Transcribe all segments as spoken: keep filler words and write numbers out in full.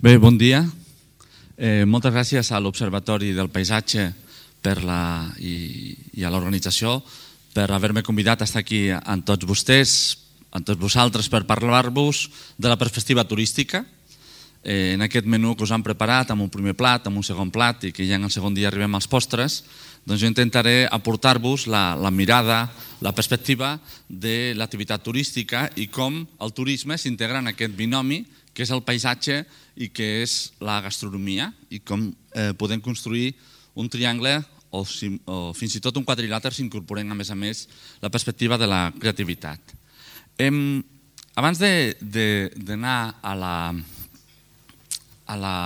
Bé, bon dia. Eh, moltes gràcies a l'Observatori del Paisatge per la, i, i a l'organització per haver-me convidat a estar aquí amb tots vostès, amb tots vosaltres, per parlar-vos de la perspectiva turística. Eh, en aquest menú que us han preparat, amb un primer plat, amb un segon plat, i que ja en el segon dia arribem als postres, doncs jo intentaré aportar-vos la, la mirada, la perspectiva de l'activitat turística i com el turisme s'integra en aquest binomi que és el paisatge i que és la gastronomia, i com eh, podem construir un triangle o, si, o fins i tot un quadrilàter si incorporem, a més a més, la perspectiva de la creativitat. Em, abans d'anar a la, a la,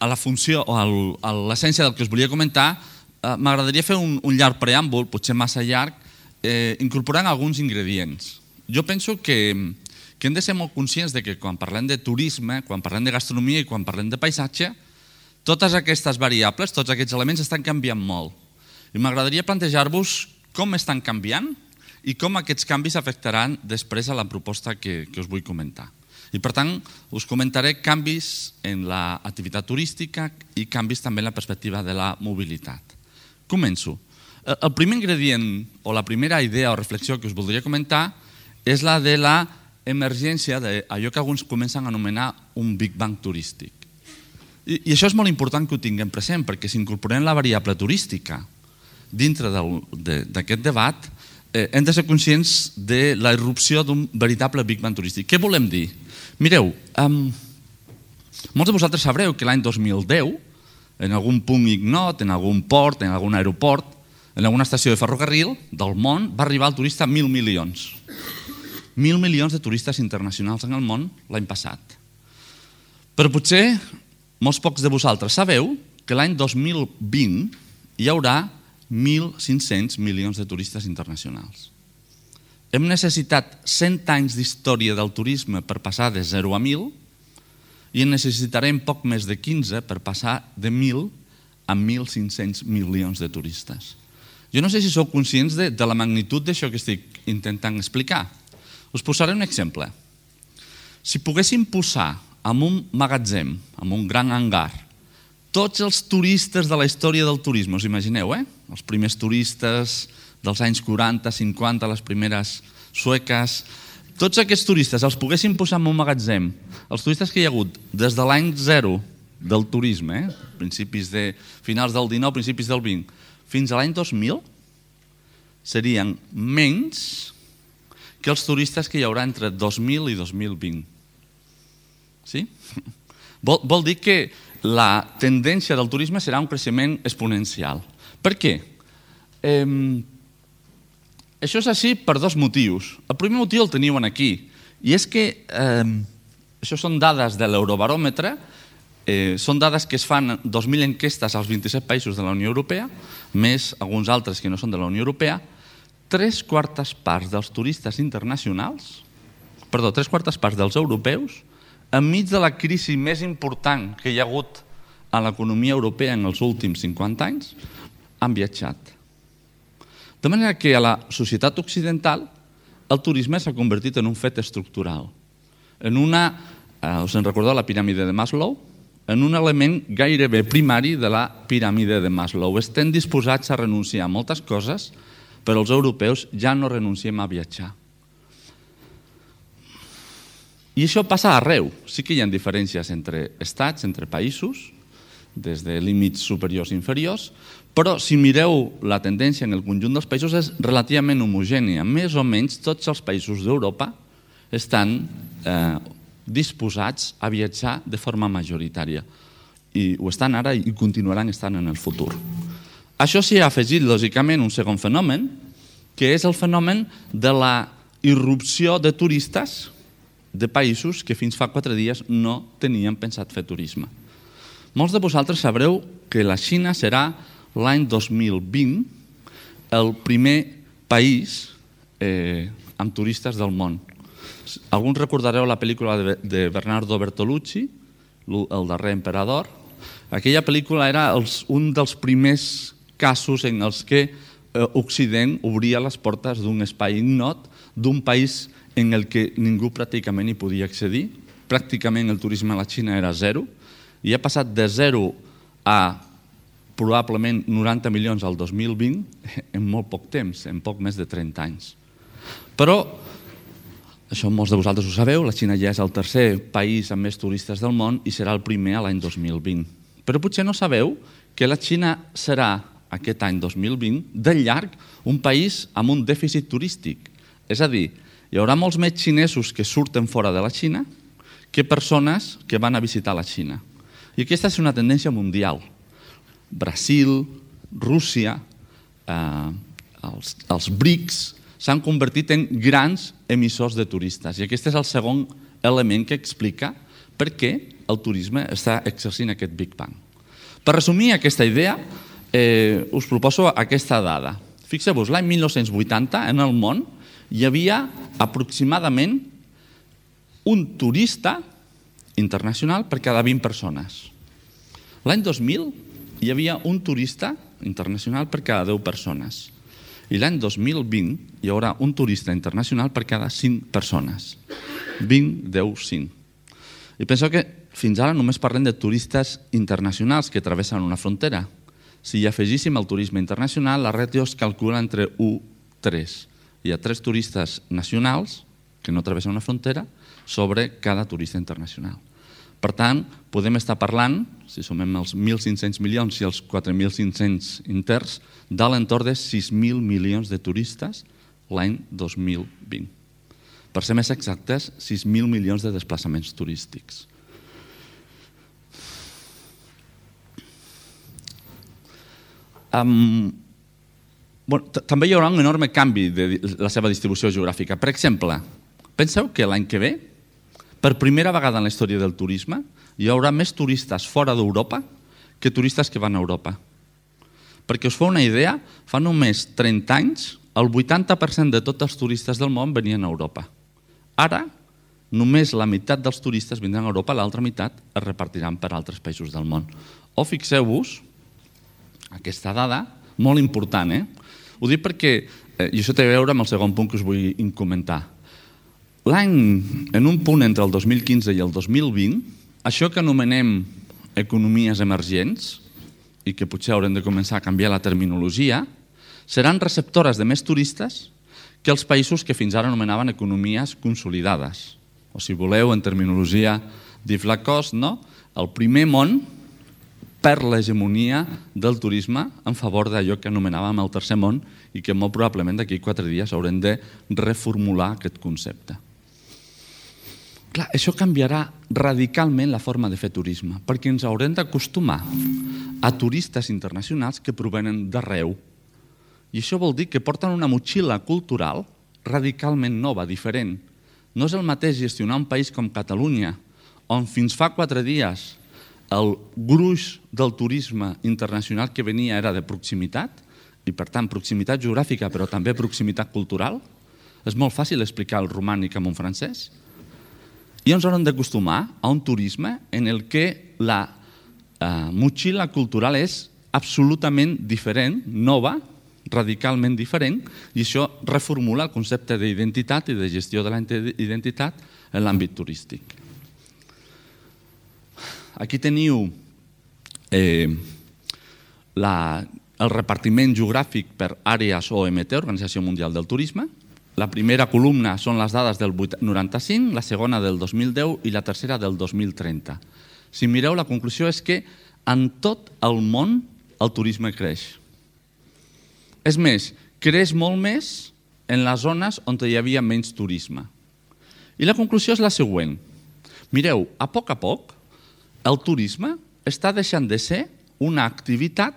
a la funció o al, a l'essència del que us volia comentar, eh, m'agradaria fer un, un llarg preàmbul, potser massa llarg, eh, incorporant alguns ingredients. Jo penso que que hem de ser molt conscients de que quan parlem de turisme, quan parlem de gastronomia i quan parlem de paisatge, totes aquestes variables, tots aquests elements estan canviant molt. I m'agradaria plantejar-vos com estan canviant i com aquests canvis afectaran després a la proposta que, que us vull comentar. I per tant, us comentaré canvis en l'activitat turística i canvis també en la perspectiva de la mobilitat. Començo. El primer ingredient o la primera idea o reflexió que us voldria comentar és la de la emergència d'allò que alguns comencen a anomenar un Big Bang turístic. I, i això és molt important que ho tinguem present, perquè si incorporem la variable turística dintre d'aquest debat, eh, hem de ser conscients de la irrupció d'un veritable Big Bang turístic. Què volem dir? Mireu, um, molts de vosaltres sabreu que l'any dos mil deu, en algun punt ignot, en algun port, en algun aeroport, en alguna estació de ferrocarril del món, va arribar el turista a mil milions. Mil milions de turistes internacionals en el món l'any passat. Però potser molts pocs de vosaltres sabeu que l'any dos mil vint hi haurà mil cinc-cents milions de turistes internacionals. Hem necessitat cent anys d'història del turisme per passar de zero a mil i en necessitarem poc més de quinze per passar de mil a mil cinc-cents milions de turistes. Jo no sé si sou conscients de, de la magnitud d'això que estic intentant explicar. Us posaré un exemple. Si poguéssim posar en un magatzem, en un gran hangar, tots els turistes de la història del turisme, us imagineu, eh? Els primers turistes dels anys quaranta, cinquanta, les primeres sueques, tots aquests turistes els poguéssim posar en un magatzem, els turistes que hi ha hagut des de l'any zero del turisme, eh? Principis de finals del dinou, principis del vint, fins a l'any dos mil, serien menys que els turistes que hi haurà entre dos mil i dos mil vint. Sí? Vol, vol dir que la tendència del turisme serà un creixement exponencial. Per què? Eh, això és així per dos motius. El primer motiu el teniu aquí, i és que eh, això són dades de l'Eurobaròmetre, eh, són dades que es fan dos mil enquestes als vint-i-set països de la Unió Europea, més alguns altres que no són de la Unió Europea. Tres quartes parts dels turistes internacionals, perdó, tres quartes parts dels europeus, enmig de la crisi més important que hi ha hagut a l'economia europea en els últims cinquanta anys, han viatjat. De manera que a la societat occidental el turisme s'ha convertit en un fet estructural, en una, eh, us en recordeu la piràmide de Maslow? En un element gairebé primari de la piràmide de Maslow. Estem disposats a renunciar a moltes coses, però els europeus ja no renunciem a viatjar. I això passa arreu. Sí que hi ha diferències entre estats, entre països, des de límits superiors i inferiors, però si mireu la tendència en el conjunt dels països és relativament homogènia. Més o menys tots els països d'Europa estan eh, disposats a viatjar de forma majoritària. I ho estan ara i continuaran estant en el futur. Això s'hi ha afegit, lògicament, un segon fenomen, que és el fenomen de la irrupció de turistes de països que fins fa quatre dies no tenien pensat fer turisme. Molts de vosaltres sabreu que la Xina serà l'any dos mil vint el primer país eh, amb turistes del món. Alguns recordareu la pel·lícula de Bernardo Bertolucci, El darrer emperador. Aquella pel·lícula era els, un dels primers casos en els que Occident obria les portes d'un espai ignot, d'un país en el que ningú pràcticament hi podia accedir, pràcticament el turisme a la Xina era zero i ha passat de zero a probablement noranta milions al dos mil vint en molt poc temps, en poc més de trenta anys. Però, això molts de vosaltres ho sabeu, la Xina ja és el tercer país amb més turistes del món i serà el primer a l'any dos mil vint. Però potser no sabeu que la Xina serà aquest any dos mil vint de llarg un país amb un dèficit turístic. És a dir, hi haurà molts més xinesos que surten fora de la Xina que persones que van a visitar la Xina. I aquesta és una tendència mundial. Brasil, Rússia, eh, els, els BRICS s'han convertit en grans emissors de turistes. I aquest és el segon element que explica per què el turisme està exercint aquest Big Bang. Per resumir aquesta idea, eh, us proposo aquesta dada. Fixeu-vos, l'any mil nou-cents vuitanta en el món hi havia aproximadament un turista internacional per cada vint persones. L'any dos mil hi havia un turista internacional per cada deu persones. I l'any dos mil vint hi haurà un turista internacional per cada cinc persones. vint, deu, cinc. I penso que fins ara només parlem de turistes internacionals que travessen una frontera. Si hi afegíssim el turisme internacional, la ràtio es calcula entre u i tres. Hi ha tres turistes nacionals que no travessen una frontera sobre cada turista internacional. Per tant, podem estar parlant, si sumem els mil cinc-cents milions i els quatre mil cinc-cents interns, de l'entorn de sis mil milions de turistes l'any dos mil vint. Per ser més exactes, sis mil milions de desplaçaments turístics. Um, bueno, també hi haurà un enorme canvi de la seva distribució geogràfica. Per exemple, penseu que l'any que ve, per primera vegada en la història del turisme, hi haurà més turistes fora d'Europa que turistes que van a Europa. Perquè us feu una idea, fa només trenta anys, el vuitanta per cent de tots els turistes del món venien a Europa. Ara, només la meitat dels turistes vindran a Europa, l'altra meitat es repartiran per altres països del món. O fixeu-vos, aquesta dada, molt important, eh? Ho dic perquè, eh, i això té a veure amb el segon punt que us vull comentar. L'any, en un punt entre el dos mil quinze i el dos mil vint, això que anomenem economies emergents, i que potser haurem de començar a canviar la terminologia, seran receptores de més turistes que els països que fins ara anomenaven economies consolidades. O si voleu, en terminologia d'Yves Lacoste, no? El primer món perd l'hegemonia del turisme en favor d'allò que anomenàvem el tercer món i que molt probablement d'aquí quatre dies haurem de reformular aquest concepte. Clar, això canviarà radicalment la forma de fer turisme, perquè ens haurem d'acostumar a turistes internacionals que provenen d'arreu. I això vol dir que porten una motxilla cultural radicalment nova, diferent. No és el mateix gestionar un país com Catalunya, on fins fa quatre dies el gruix del turisme internacional que venia era de proximitat, i per tant proximitat geogràfica, però també proximitat cultural. És molt fàcil explicar el romànic amb un francès. I ens haurem d'acostumar a un turisme en el que la eh, motxilla cultural és absolutament diferent, nova, radicalment diferent, i això reformula el concepte d'identitat i de gestió de la identitat en l'àmbit turístic. Aquí teniu eh, la, el repartiment geogràfic per àrees O M T, Organització Mundial del Turisme. La primera columna són les dades del noranta-cinc, la segona del dos mil deu i la tercera del dos mil trenta. Si mireu, la conclusió és que en tot el món el turisme creix. És més, creix molt més en les zones on hi havia menys turisme. I la conclusió és la següent. Mireu, a poc a poc, el turisme està deixant de ser una activitat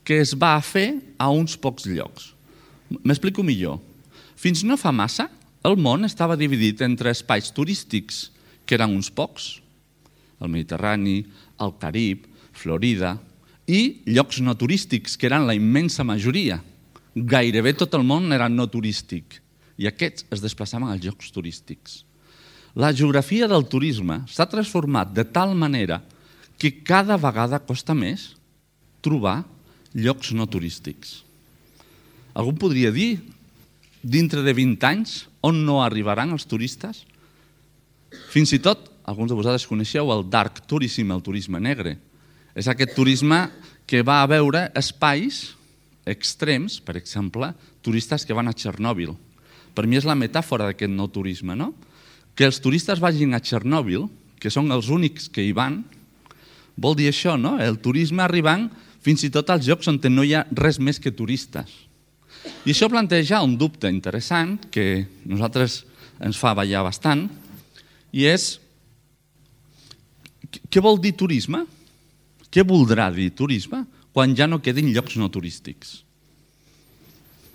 que es va fer a uns pocs llocs. M'explico millor. Fins no fa massa, el món estava dividit entre espais turístics, que eren uns pocs, el Mediterrani, el Carib, Florida, i llocs no turístics, que eren la immensa majoria. Gairebé tot el món era no turístic, i aquests es desplaçaven als llocs turístics. La geografia del turisme s'ha transformat de tal manera que cada vegada costa més trobar llocs no turístics. Algú podria dir, dintre de vint anys, on no arribaran els turistes? Fins i tot alguns de vosaltres coneixeu el dark tourism, el turisme negre. És aquest turisme que va a veure espais extrems, per exemple, turistes que van a Txernòbil. Per mi és la metàfora d'aquest nou turisme, no? Que els turistes vagin a Txernòbil, que són els únics que hi van, vol dir això, no? El turisme arribant fins i tot als llocs on no hi ha res més que turistes. I això planteja un dubte interessant que a nosaltres ens fa ballar bastant, i és, què vol dir turisme? Què voldrà dir turisme quan ja no quedin llocs no turístics?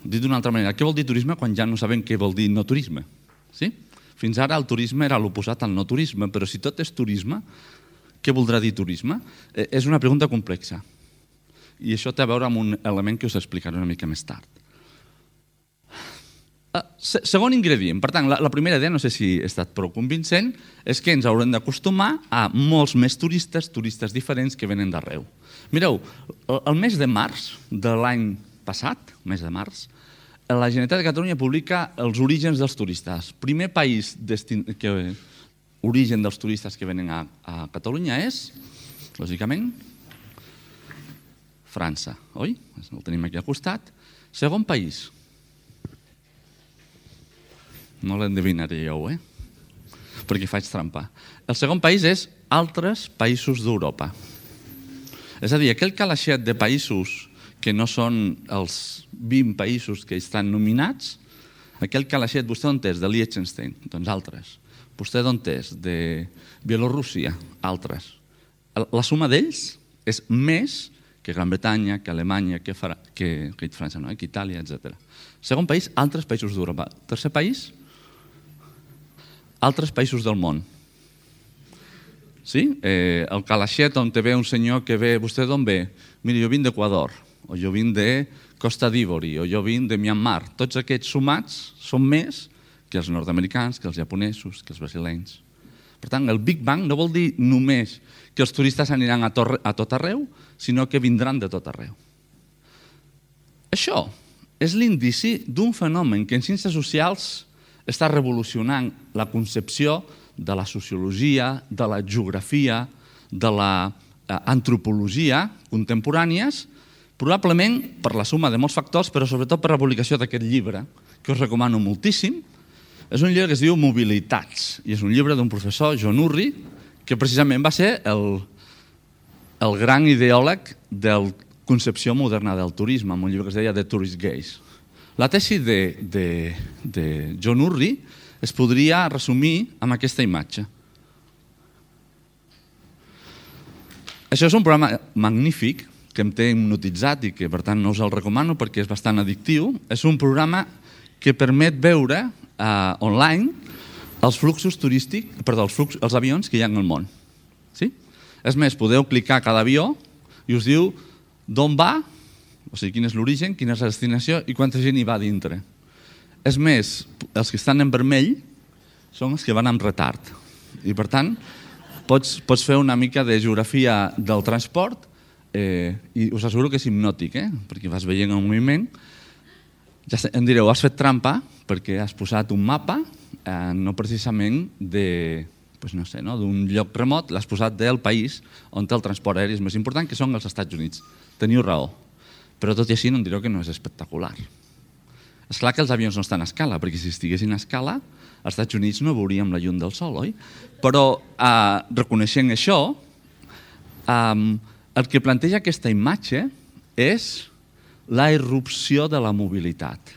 Dit d'una altra manera, què vol dir turisme quan ja no sabem què vol dir no turisme? Sí? Fins ara el turisme era l'oposat al no turisme, però si tot és turisme, què voldrà dir turisme? Eh, és una pregunta complexa. I això té a veure amb un element que us explicaré una mica més tard. Segon ingredient, per tant, la primera idea, no sé si he estat prou convincent, és que ens haurem d'acostumar a molts més turistes, turistes diferents que venen d'arreu. Mireu, el mes de març de l'any passat, el mes de març, la Generalitat de Catalunya publica els orígens dels turistes. Primer país que origen dels turistes que venen a Catalunya és, lògicament, França, oi? El tenim aquí al costat. Segon país. No l'endevinaré jo, eh? Perquè faig trampa. El segon país és altres països d'Europa. És a dir, aquell calaixet de països que no són els vint països que estan nominats, aquell calaixet, vostè d'on és? De Liechtenstein? Doncs altres. Vostè d'on és? De Bielorússia? Altres. La suma d'ells és més que Gran Bretanya, que Alemanya, que França, que Itàlia, etcètera. Segon país, altres països d'Europa. Tercer país, altres països del món. Sí? El calaixet on te ve un senyor que ve, vostè d'on ve? Mira, jo vinc d'Equador, o jo vinc de Costa d'Ivori, o jo vinc de Myanmar. Tots aquests sumats són més que els nord-americans, que els japonesos, que els brasilenys. Per tant, el Big Bang no vol dir només que els turistes aniran a tot arreu, sinó que vindran de tot arreu. Això és l'indici d'un fenomen que en ciències socials està revolucionant la concepció de la sociologia, de la geografia, de l'antropologia contemporànies, probablement per la suma de molts factors, però sobretot per la publicació d'aquest llibre, que us recomano moltíssim. És un llibre que es diu Mobilitats, i és un llibre d'un professor, John Urry, que precisament va ser el, el gran ideòleg de la concepció moderna del turisme, amb un llibre que es deia The Tourist Gaze. La tesi de, de, de John Urry es podria resumir amb aquesta imatge. Això és un programa magnífic que em té hipnotitzat i que per tant no us el recomano perquè és bastant addictiu. És un programa que permet veure uh, online els fluxos turístics, perdó, els, flux, els avions que hi ha en el món. Sí? És més, podeu clicar a cada avió i us diu d'on va, o sigui, quin és l'origen, quina és la destinació i quanta gent hi va dintre. És més, els que estan en vermell són els que van amb retard. I per tant, pots, pots fer una mica de geografia del transport eh, i us asseguro que és hipnòtic, eh? Perquè vas veient el moviment. Ja em direu, has fet trampa perquè has posat un mapa, eh, no precisament de, pues no sé, no, d'un lloc remot, l'has posat del país on el transport aeri és més important, que són els Estats Units. Teniu raó. Però tot i així no em direu que no és espectacular. És clar que els avions no estan a escala, perquè si estiguessin a escala, als Estats Units no veuríem la llum del sol, oi? Però eh, reconeixent això, eh, el que planteja aquesta imatge és la irrupció de la mobilitat.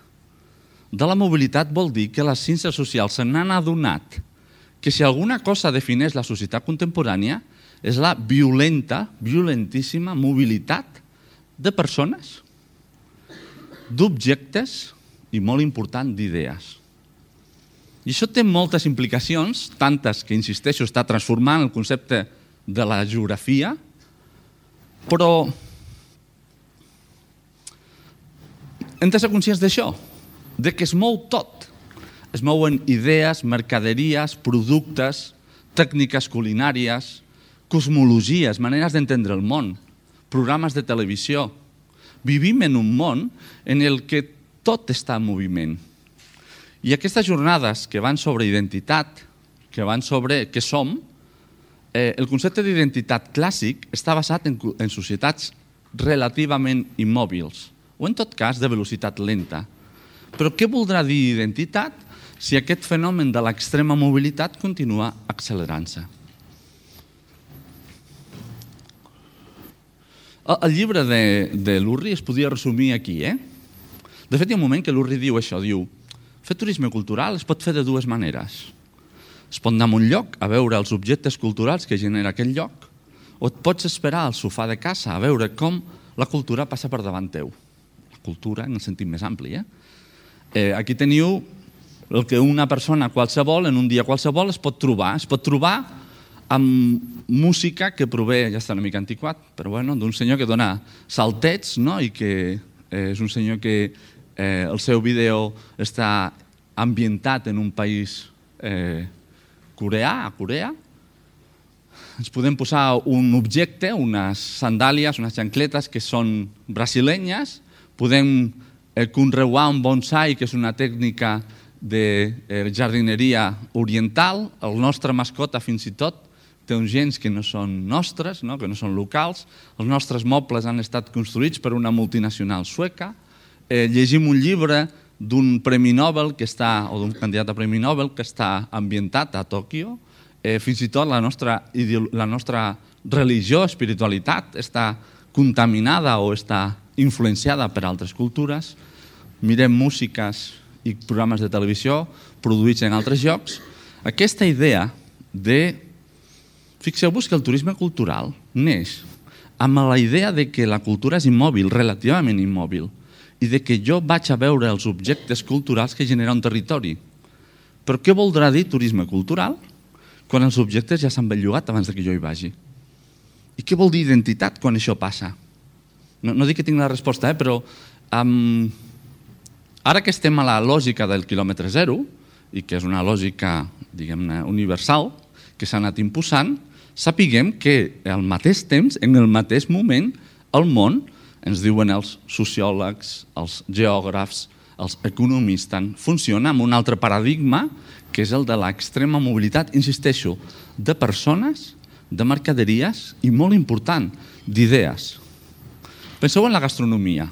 De la mobilitat vol dir que les ciències socials se n'han adonat que si alguna cosa defineix la societat contemporània és la violenta, violentíssima mobilitat de persones, d'objectes i, molt important, d'idees. I això té moltes implicacions, tantes que, insisteixo, està transformant el concepte de la geografia, però hem de ser conscients d'això, de que es mou tot. Es mouen idees, mercaderies, productes, tècniques culinàries, cosmologies, maneres d'entendre el món, programes de televisió. Vivim en un món en el que tot està en moviment. I aquestes jornades que van sobre identitat, que van sobre què som, el concepte d'identitat clàssic està basat en, en societats relativament immòbils, o en tot cas de velocitat lenta. Però què voldrà dir identitat si aquest fenomen de l'extrema mobilitat continua accelerant-se? El, el llibre de, de l'Urri es podia resumir aquí, eh? De fet, hi ha un moment que l'Urri diu això, diu fer turisme cultural es pot fer de dues maneres. Es pot anar a un lloc a veure els objectes culturals que genera aquell lloc, o et pots esperar al sofà de casa a veure com la cultura passa per davant teu. La cultura en el sentit més ampli. Eh? Eh, aquí teniu el que una persona qualsevol, en un dia qualsevol, es pot trobar. Es pot trobar amb música que prové, ja està una mica antiquat, però bueno, d'un senyor que dona saltets, no? I que eh, és un senyor que eh, el seu vídeo està ambientat en un país eh, coreà, a Corea. Ens podem posar un objecte, unes sandàlies, unes xancletes que són brasilenyes. Podem eh, conreuar un bonsai, que és una tècnica de eh, jardineria oriental. El nostre mascota, fins i tot, té uns gens que no són nostres, no? Que no són locals. Els nostres mobles han estat construïts per una multinacional sueca. Eh, llegim un llibre d'un premi Nobel que està, o d'un candidat a premi Nobel que està ambientat a Tòquio. Eh, fins i tot la nostra, la nostra religió, espiritualitat, està contaminada o està influenciada per altres cultures. Mirem músiques i programes de televisió produïts en altres llocs. Aquesta idea de... Fixeu-vos que el turisme cultural neix amb la idea de que la cultura és immòbil, relativament immòbil, i de que jo vaig a veure els objectes culturals que genera un territori. Però què voldrà dir turisme cultural quan els objectes ja s'han bellugat abans que jo hi vagi? I què vol dir identitat quan això passa? No, no dic que tinc la resposta, eh, però um, ara que estem a la lògica del quilòmetre zero, i que és una lògica, diguem-ne, universal, que s'ha anat imposant, sapiguem que al mateix temps, en el mateix moment, el món, ens diuen els sociòlegs, els geògrafs, els economistes, funciona amb un altre paradigma, que és el de l'extrema mobilitat, insisteixo, de persones, de mercaderies i, molt important, d'idees. Penseu en la gastronomia.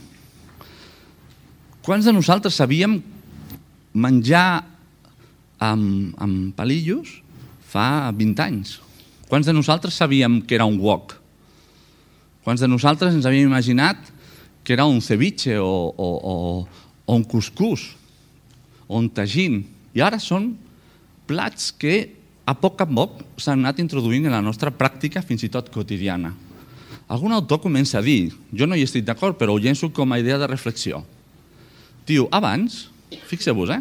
Quants de nosaltres sabíem menjar amb, amb palillos fa vint anys? Quants de nosaltres sabíem que era un wok? Quants de nosaltres ens havíem imaginat que era un ceviche o, o, o, o un cuscús o un tagín? I ara són plats que a poc a poc s'han anat introduint en la nostra pràctica fins i tot quotidiana. Algun autor comença a dir, jo no hi estic d'acord, però ho llenço com a idea de reflexió. Diu, abans, fixeu-vos, eh?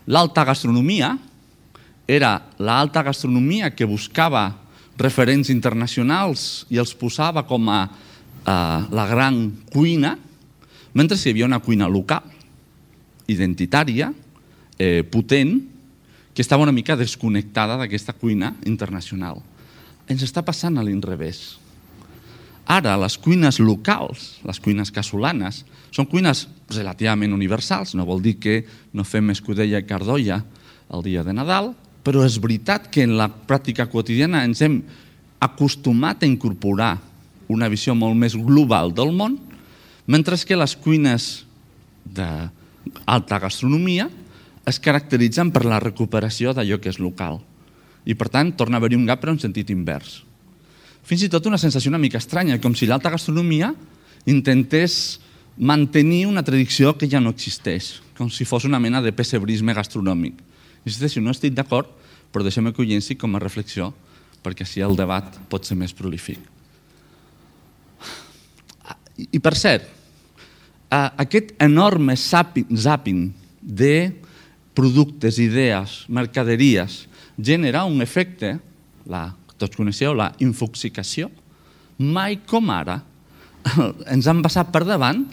l'alta gastronomia era l'alta gastronomia que buscava referents internacionals i els posava com a eh, la gran cuina, mentre hi havia una cuina local, identitària, eh, potent, que estava una mica desconnectada d'aquesta cuina internacional. Ens està passant a l'inrevés. Ara, les cuines locals, les cuines casolanes, són cuines relativament universals, no vol dir que no fem escudella i cardolla el dia de Nadal, però és veritat que en la pràctica quotidiana ens hem acostumat a incorporar una visió molt més global del món, mentre que les cuines d'alta gastronomia es caracteritzen per la recuperació d'allò que és local. I, per tant, torna a haver-hi un gap però en sentit invers. Fins i tot una sensació una mica estranya, com si l'alta gastronomia intentés mantenir una tradició que ja no existeix, com si fos una mena de pessebrisme gastronòmic. Insisteixo, no estic d'acord, però deixem-me que ho llenci com a reflexió, perquè així el debat pot ser més prolífic. I per cert, aquest enorme zàping de productes, idees, mercaderies, genera un efecte, la, tots coneixeu, la infoxicació. Mai com ara ens han passat per davant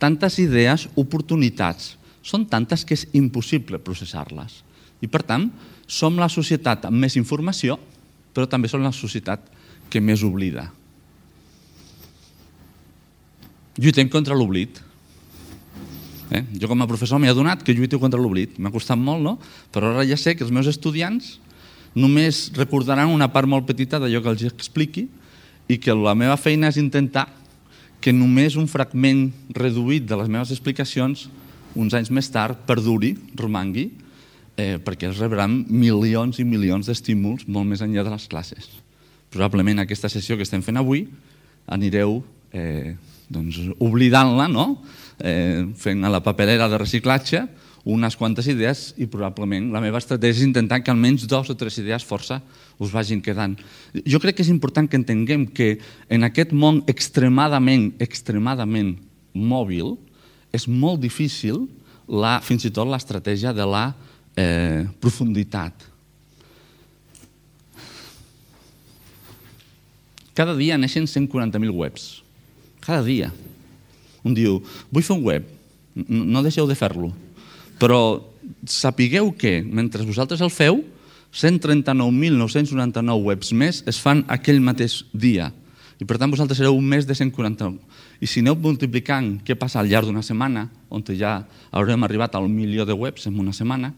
tantes idees, oportunitats. Són tantes que és impossible processar-les. I, per tant, som la societat amb més informació, però també som la societat que més oblida. Lluitem contra l'oblit. Eh? Jo, com a professor, m'he adonat que lluito contra l'oblit. M'ha costat molt, no? Però ara ja sé que els meus estudiants només recordaran una part molt petita d'allò que els expliqui i que la meva feina és intentar que només un fragment reduït de les meves explicacions uns anys més tard perduri, romangui, eh, perquè es rebran milions i milions d'estímuls molt més enllà de les classes. Probablement aquesta sessió que estem fent avui anireu eh, doncs, oblidant-la, no? eh, fent a la paperera de reciclatge unes quantes idees i probablement la meva estratègia és intentar que almenys dos o tres idees força us vagin quedant. Jo crec que és important que entenguem que en aquest món extremadament, extremadament mòbil és molt difícil la, fins i tot l'estratègia de la eh, profunditat. Cada dia neixen cent quaranta mil webs. Cada dia. Un diu, vull fer un web. No deixeu de fer-lo. Però sapigueu que, mentre vosaltres el feu, cent trenta-nou mil nou-cents noranta-nou webs més es fan aquell mateix dia. I per tant vosaltres sereu un més de cent quaranta-nou. I si aneu multiplicant què passa al llarg d'una setmana, on ja haurem arribat al milió de webs en una setmana,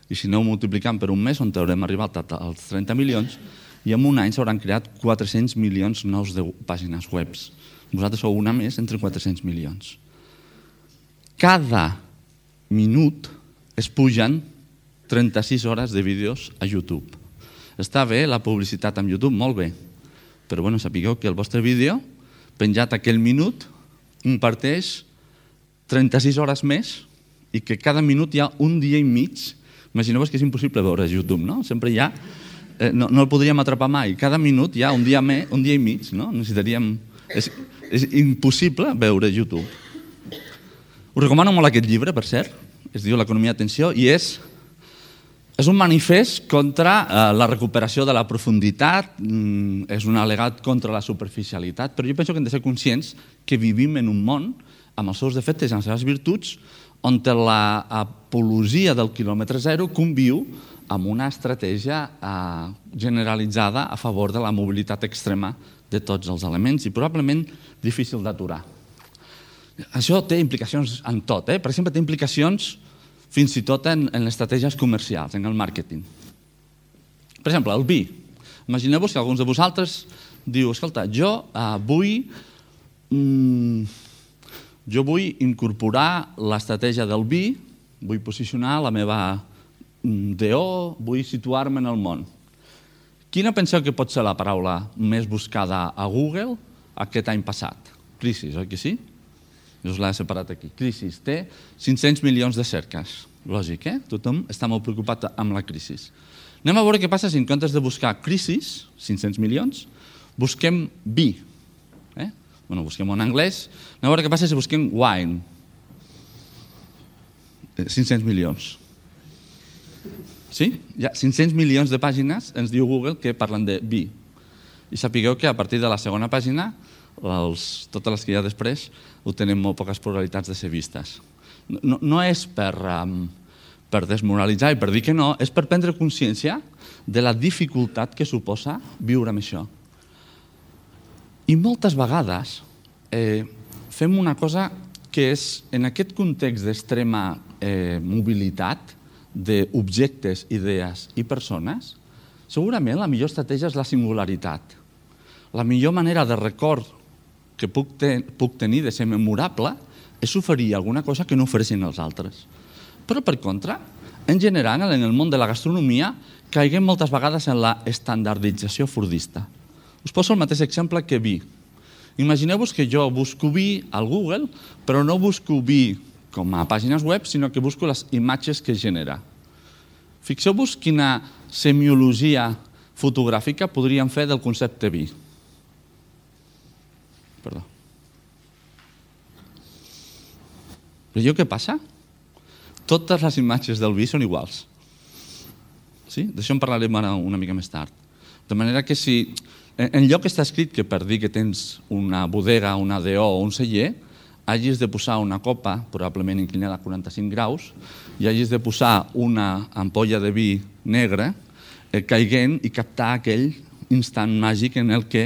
i si aneu multiplicant per un mes, on haurem arribat als trenta milions, i en un any s'hauran creat quatre-cents milions nous de pàgines webs. Vosaltres sou una més entre quatre-cents milions. Cada minut es pugen trenta-sis hores de vídeos a YouTube. Està bé la publicitat amb YouTube? Molt bé. Però bueno, sapigueu que el vostre vídeo, penjat aquell minut, imparteix trenta-sis hores més i que cada minut hi ha un dia i mig. Imagineu-vos que és impossible veure YouTube, no? Sempre hi ha... Eh, no, no el podríem atrapar mai. Cada minut hi ha un dia, me, un dia i mig, no? Necessitaríem... És, és impossible veure YouTube. Us recomano molt aquest llibre, per cert, es diu L'economia d'atenció, i és, és un manifest contra eh, la recuperació de la profunditat, mm, és un al·legat contra la superficialitat, però jo penso que hem de ser conscients que vivim en un món amb els seus defectes i les seves virtuts, on l'apologia del quilòmetre zero conviu amb una estratègia eh, generalitzada a favor de la mobilitat extrema de tots els elements i probablement difícil d'aturar. Això té implicacions en tot. Eh? Per exemple, té implicacions fins i tot en, en les estratègies comercials, en el màrqueting. Per exemple, el vi. Imagineu-vos que alguns de vosaltres diu, escolta, jo eh, vull, mm, jo vull incorporar l'estratègia del vi, vull posicionar la meva D O, vull situar-me en el món. Quina penseu que pot ser la paraula més buscada a Google aquest any passat? Crisis, oi que sí? Jo us l'he separat aquí. Crisis té cinc-cents milions de cerques. Lògic, eh? Tothom està molt preocupat amb la crisi. Anem a veure què passa si en comptes de buscar crisis, cinc-cents milions, busquem vi. Eh? Bueno, busquem en anglès. Anem a veure què passa si busquem wine. cinc-cents milions. Sí? Hi ha cinc-cents milions de pàgines, ens diu Google, que parlen de vi. I sapigueu que a partir de la segona pàgina, els, totes les que hi ha després, ho tenen molt poques probabilitats de ser vistes. No, no és per, um, per desmoralitzar i per dir que no, és per prendre consciència de la dificultat que suposa viure amb això. I moltes vegades eh, fem una cosa que és, en aquest context d'extrema eh, mobilitat, d'objectes, idees i persones, segurament la millor estratègia és la singularitat. La millor manera de record que puc, ten, puc tenir de ser memorable és oferir alguna cosa que no ofereixen els altres. Però, per contra, en general, en el món de la gastronomia, caiguem moltes vegades en la estandardització fordista. Us poso el mateix exemple que vi. Imagineu-vos que jo busco vi al Google, però no busco vi com a pàgines web, sinó que busco les imatges que genera. Fixeu-vos quina semiologia fotogràfica podríem fer del concepte vi. Perdó. Veieu què passa? Totes les imatges del vi són iguals. Sí? D'això en parlarem ara una mica més tard. De manera que si en lloc està escrit que per dir que tens una bodega, una D O o un celler, hagis de posar una copa, probablement inclinada a quaranta-cinc graus, i hagis de posar una ampolla de vi negre eh, caiguent i captar aquell instant màgic en el que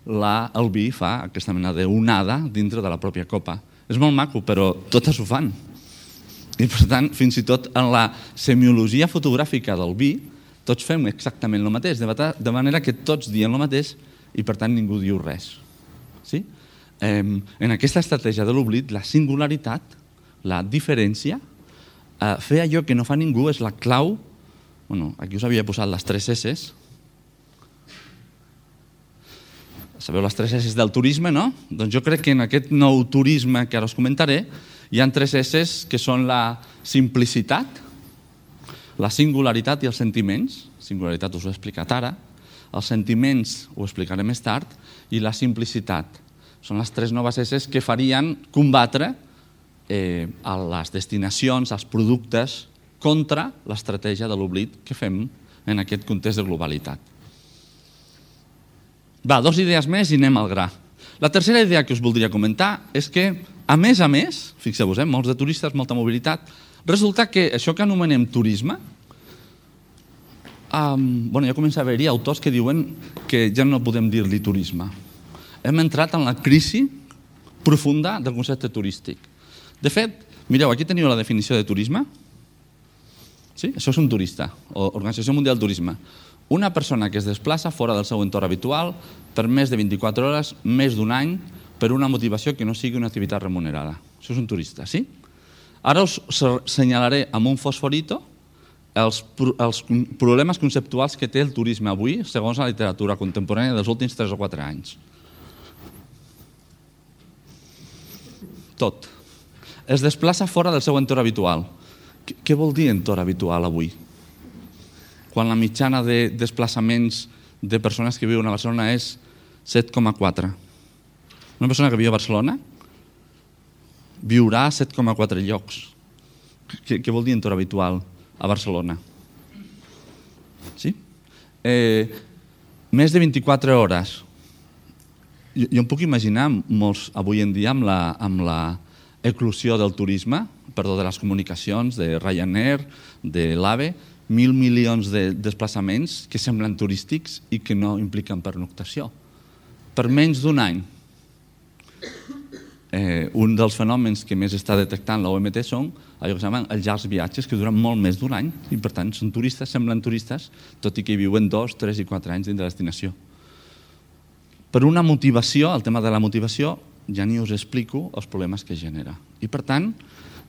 la, el vi fa aquesta mena d'onada dintre de la pròpia copa. És molt maco, però totes ho fan. I per tant, fins i tot en la semiologia fotogràfica del vi, Tots fem exactament el mateix, de manera que tots diem el mateix i per tant ningú diu res. Sí? En aquesta estratègia de l'oblit, la singularitat, la diferència, fer allò que no fa ningú és la clau. Bueno, aquí us havia posat les tres esses. Sabeu les tres esses del turisme, no? Doncs jo crec que en aquest nou turisme que ara us comentaré hi ha tres esses que són la simplicitat, la singularitat i els sentiments. Singularitat us ho he explicat ara. Els sentiments ho explicaré més tard. I la simplicitat. Són les tres noves esses que farien combatre a les destinacions, als productes, contra l'estratègia de l'oblit que fem en aquest context de globalitat. Va, dos idees més i anem al gra. La tercera idea que us voldria comentar és que, a més a més, fixeu-vos, molts de turistes, molta mobilitat, resulta que això que anomenem turisme, bueno, ja comença a haver-hi autors que diuen que ja no podem dir-li turisme. Hem entrat en la crisi profunda del concepte turístic. De fet, mireu, aquí teniu la definició de turisme. Sí? Això és un turista, o Organització Mundial del Turisme. Una persona que es desplaça fora del seu entorn habitual per més de vint-i-quatre hores, més d'un any, per una motivació que no sigui una activitat remunerada. Això és un turista, sí? Ara us assenyalaré amb un fosforito els problemes conceptuals que té el turisme avui, segons la literatura contemporània dels últims tres o quatre anys. Tot. Es desplaça fora del seu entorn habitual. Què vol dir entorn habitual avui? Quan la mitjana de desplaçaments de persones que viuen a Barcelona és set coma quatre. Una persona que viu a Barcelona viurà a set coma quatre llocs. Què vol dir entorn habitual a Barcelona? Sí? Més de vint-i-quatre hores. Jo em puc imaginar molts avui en dia amb la eclosió del turisme, perdó, de les comunicacions, de Ryanair, de l'AVE, mil milions de desplaçaments que semblen turístics i que no impliquen pernoctació. Per menys d'un any. Un dels fenòmens que més està detectant l'O M T són allò que es diuen els llargs viatges, que duren molt més d'un any i per tant són turistes, semblen turistes, tot i que hi viuen dos, tres i quatre anys dins de la destinació. Per una motivació, el tema de la motivació, ja ni us explico els problemes que genera. I per tant,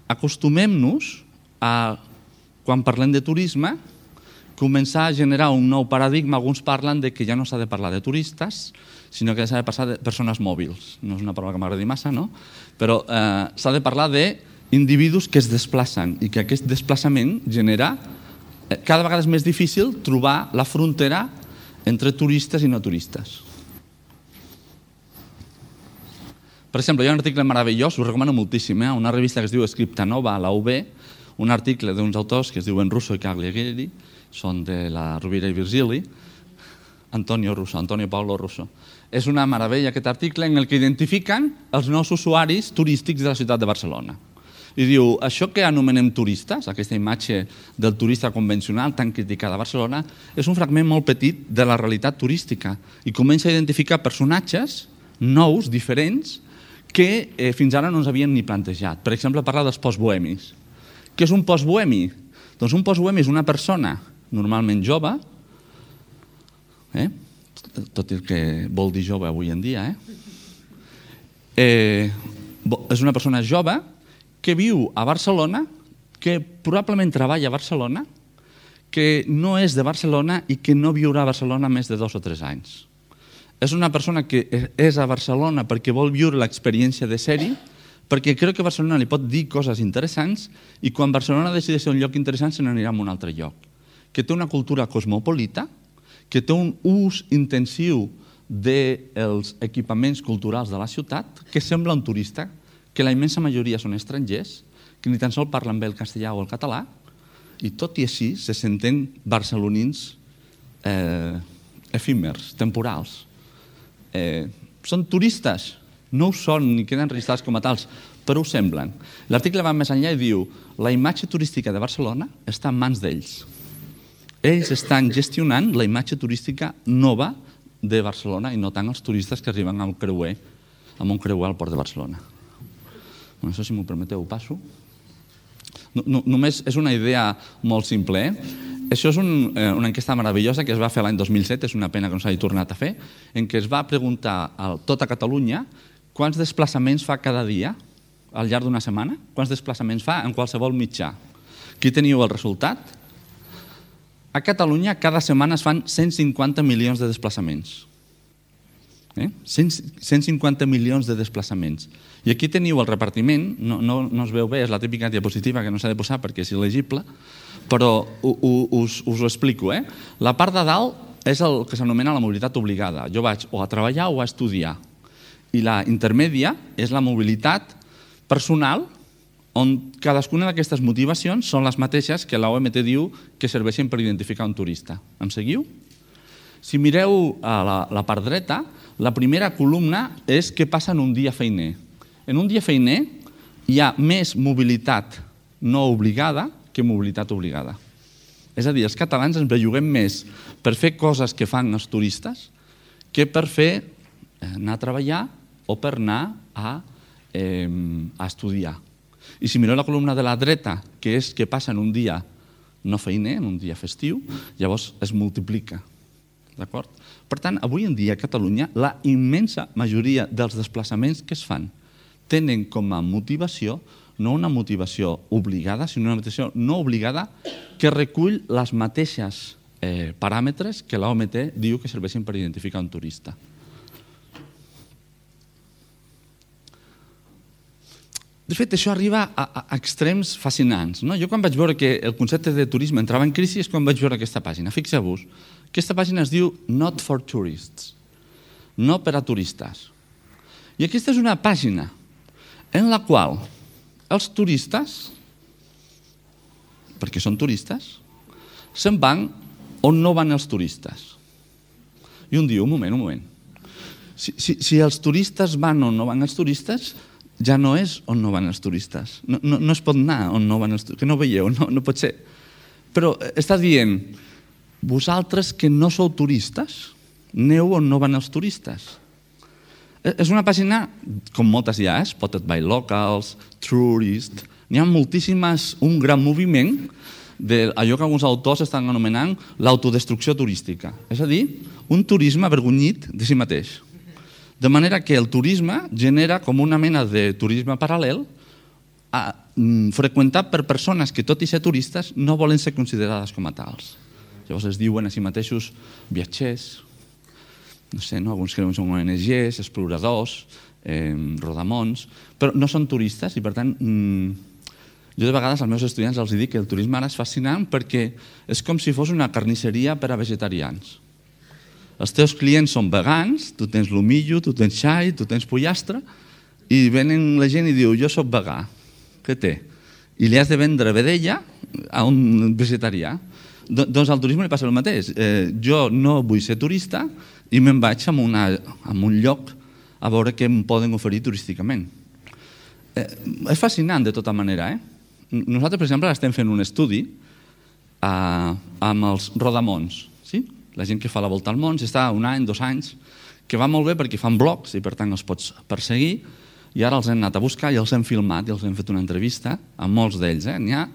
acostumem-nos a, quan parlem de turisme, començar a generar un nou paradigma. Alguns parlen de que ja no s'ha de parlar de turistes, sinó que s'ha de parlar de persones mòbils. No és una paraula que m'agradi massa, no? Però s'ha de parlar d'individus que es desplacen i que aquest desplaçament genera... Cada vegada és més difícil trobar la frontera entre turistes i no turistes. Per exemple, hi ha un article meravellós, us recomano moltíssim, a una revista que es diu Scriptanova, a la U B, un article d'uns autors que es diuen Russo i Cagliari, són de la Rovira i Virgili, Antonio Russo, Antonio Paolo Russo. És una meravella aquest article en el que identifiquen els nous usuaris turístics de la ciutat de Barcelona. I diu, això que anomenem turistes, aquesta imatge del turista convencional tan criticada a Barcelona, és un fragment molt petit de la realitat turística i comença a identificar personatges nous, diferents, que fins ara no ens havien ni plantejat. Per exemple, parlar dels postbohemis. Què és un postbohemi? Doncs un postbohemi és una persona normalment jove, tot el que vol dir jove avui en dia, és una persona jove que viu a Barcelona, que probablement treballa a Barcelona, que no és de Barcelona i que no viurà a Barcelona més de dos o tres anys. És una persona que és a Barcelona perquè vol viure l'experiència de ser-hi, perquè creu que Barcelona li pot dir coses interessants i quan Barcelona decideix ser un lloc interessant se n'anirà a un altre lloc. Que té una cultura cosmopolita, que té un ús intensiu dels equipaments culturals de la ciutat, que sembla un turista, que la immensa majoria són estrangers, que ni tan sols parlen bé el castellà o el català, i tot i així se senten barcelonins efímers, temporals. Són turistes, no ho són ni queden registrats com a tals, però ho semblen. L'article va més enllà i diu la imatge turística de Barcelona està en mans d'ells. Ells estan gestionant la imatge turística nova de Barcelona i no tant els turistes que arriben amb creuer, amb un creuer al port de Barcelona. Això, si m'ho permeteu, ho passo. Només és una idea molt simple. Això és un, eh, una enquesta meravellosa que es va fer l'any dos mil set, és una pena que no s'hagi tornat a fer, en què es va preguntar a tota Catalunya quants desplaçaments fa cada dia al llarg d'una setmana, quants desplaçaments fa en qualsevol mitjà. Aquí teniu el resultat. A Catalunya cada setmana es fan cent cinquanta milions de desplaçaments. Eh? cent cinquanta milions de desplaçaments. I aquí teniu el repartiment, no, no, no es veu bé, és la típica diapositiva que no s'ha de posar perquè és il·legible, però us, us ho explico. Eh? La part de dalt és el que s'anomena la mobilitat obligada. Jo vaig o a treballar o a estudiar. I la intermèdia és la mobilitat personal, on cadascuna d'aquestes motivacions són les mateixes que l'O M T diu que serveixen per identificar un turista. Em seguiu? Si mireu a la, la part dreta, la primera columna és què passa en un dia feiner. En un dia feiner hi ha més mobilitat no obligada que mobilitat obligada. És a dir, els catalans ens belluguem més per fer coses que fan els turistes que per fer anar a treballar o per anar a, eh, a estudiar. I si mireu la columna de la dreta, que és què passa en un dia no feiner, en un dia festiu, llavors es multiplica. D'acord? Per tant, avui en dia a Catalunya la immensa majoria dels desplaçaments que es fan tenen com a motivació no una motivació obligada, sinó una motivació no obligada que recull les mateixes eh, paràmetres que l'O M T diu que serveixen per identificar un turista. De fet, això arriba a, a extrems fascinants. No? Jo quan vaig veure que el concepte de turisme entrava en crisi és quan vaig veure aquesta pàgina. Fixeu-vos, aquesta pàgina es diu Not for Tourists, no per a turistes. I aquesta és una pàgina en la qual els turistes, perquè són turistes, se'n van on no van els turistes. I un diu, un moment, un moment. Si, si, si els turistes van on no van els turistes, ja no és on no van els turistes. No, no, no es pot anar on no van els turistes. Que no veieu, no, no pot ser. Però està dient, vosaltres que no sou turistes, aneu on no van els turistes. És una pàgina, com moltes hi ha, Spotted by Locals, Tourist, n'hi ha moltíssimes, un gran moviment d'allò que alguns autors estan anomenant l'autodestrucció turística. És a dir, un turisme avergonyit de si mateix. De manera que el turisme genera com una mena de turisme paral·lel a, mm, freqüentat per persones que, tot i ser turistes, no volen ser considerades com a tals. Llavors es diuen a si mateixos viatgers, no sé, no? Alguns creuen que són O N Ges, exploradors, eh, rodamons, però no són turistes i, per tant, mmm, jo de vegades als meus estudiants els dic que el turisme ara és fascinant perquè és com si fos una carnisseria per a vegetarians. Els teus clients són vegans, tu tens l'humillo, tu tens xai, tu tens pollastre, i venen la gent i diu, jo soc vegà, què té? I li has de vendre vedella a un vegetarià. Doncs al turisme li passa el mateix. Eh, jo no vull ser turista i me'n vaig a, una, a un lloc a veure què em poden oferir turísticament. Eh, és fascinant de tota manera. Eh? Nosaltres, per exemple, estem fent un estudi eh, amb els rodamons. Sí? La gent que fa la volta al món està un any, dos anys, que va molt bé perquè fan blogs i per tant els pots perseguir, i ara els hem anat a buscar i els hem filmat i els hem fet una entrevista amb molts d'ells. Eh? N'hi ha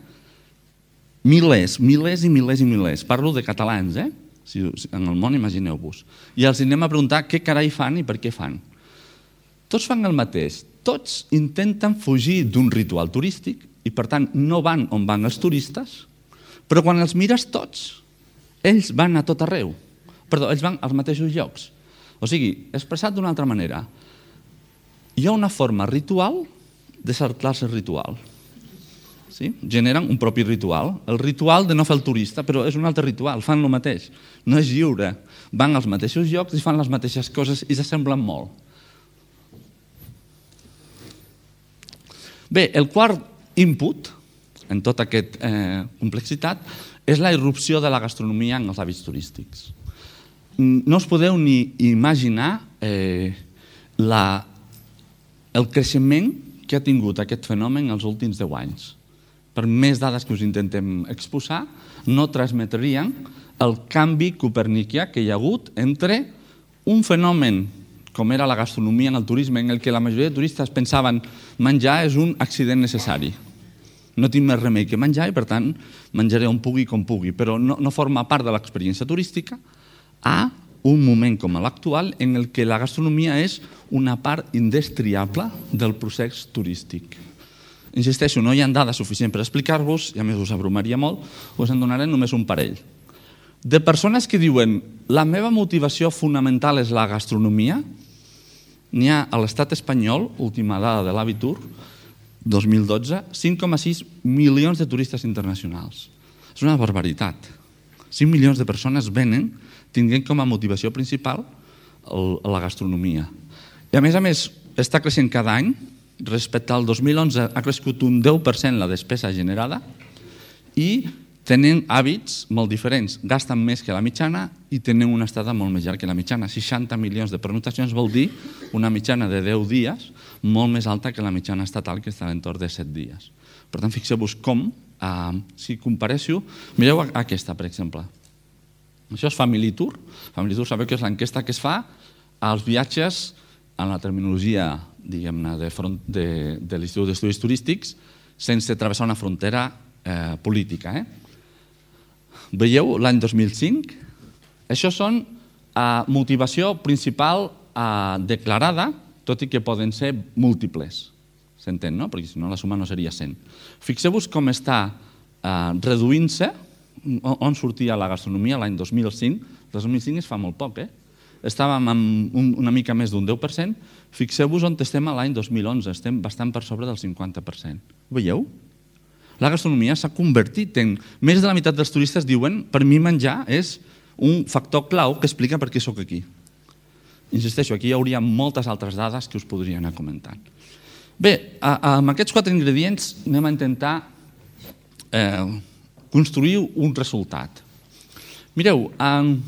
milers, milers i milers i milers. Parlo de catalans, eh? Si, en el món, imagineu-vos. I els anem a preguntar què carai fan i per què fan. Tots fan el mateix. Tots intenten fugir d'un ritual turístic i, per tant, no van on van els turistes, però quan els mires tots, ells van a tot arreu. Perdó, ells van als mateixos llocs. O sigui, expressat d'una altra manera, hi ha una forma ritual de saltar-se el ritual. Sí? Generen un propi ritual. El ritual de no fer el turista, però és un altre ritual, fan el mateix. No és lliure. Van als mateixos llocs i fan les mateixes coses i s'assemblen molt. Bé, el quart input en tota aquesta eh, complexitat és la irrupció de la gastronomia en els hàbits turístics. No us podeu ni imaginar eh, la, el creixement que ha tingut aquest fenomen els últims deu anys. Per més dades que us intentem exposar, no transmetrien el canvi copernicià que hi ha hagut entre un fenomen com era la gastronomia en el turisme, en el que la majoria de turistes pensaven menjar és un accident necessari. no tinc més remei que menjar i, per tant, menjaré on pugui com pugui, però no, no forma part de l'experiència turística a un moment com l'actual en el que la gastronomia és una part indestriable del procés turístic. Insisteixo, no hi ha dades suficients per explicar-vos, i a més us abrumaria molt, us en donaré només un parell. De persones que diuen la meva motivació fonamental és la gastronomia, n'hi ha a l'estat espanyol, última dada de l'Abitur, dos mil dotze, cinc coma sis milions de turistes internacionals. És una barbaritat. cinc milions de persones venen tinguent com a motivació principal la gastronomia. I a més a més, està creixent cada any. Respecte al dos mil onze ha crescut un deu per cent la despesa generada i tenen hàbits molt diferents. Gasten més que la mitjana i tenen una estada molt més llarga que la mitjana. seixanta milions de pernoctacions vol dir una mitjana de deu dies molt més alta que la mitjana estatal, que està a l'entorn de set dies. Per tant, fixeu-vos com, eh, si compareixo, mireu aquesta, per exemple. Això és Family Tour. Family Tour sabeu que és l'enquesta que es fa als viatges en la terminologia, diguem-ne, de, de, de l'Institut d'Estudis Turístics, sense travessar una frontera eh, política. Eh? Veieu l'any dos mil cinc? Això són eh, motivació principal eh, declarada, tot i que poden ser múltiples. S'entén, no? Perquè si no la suma no seria cent. Fixeu-vos com està eh, reduint-se, on sortia la gastronomia l'any dos mil cinc. dos mil cinc es fa molt poc, eh? Estàvem amb un, una mica més d'un deu per cent. Fixeu-vos on estem a l'any dos mil onze. Estem bastant per sobre del cinquanta per cent. Ho veieu? La gastronomia s'ha convertit en... Més de la meitat dels turistes diuen per mi menjar és un factor clau que explica per què sóc aquí. Insisteixo, aquí hi hauria moltes altres dades que us podria anar comentant. Bé, amb aquests quatre ingredients anem a intentar eh, construir un resultat. Mireu, eh,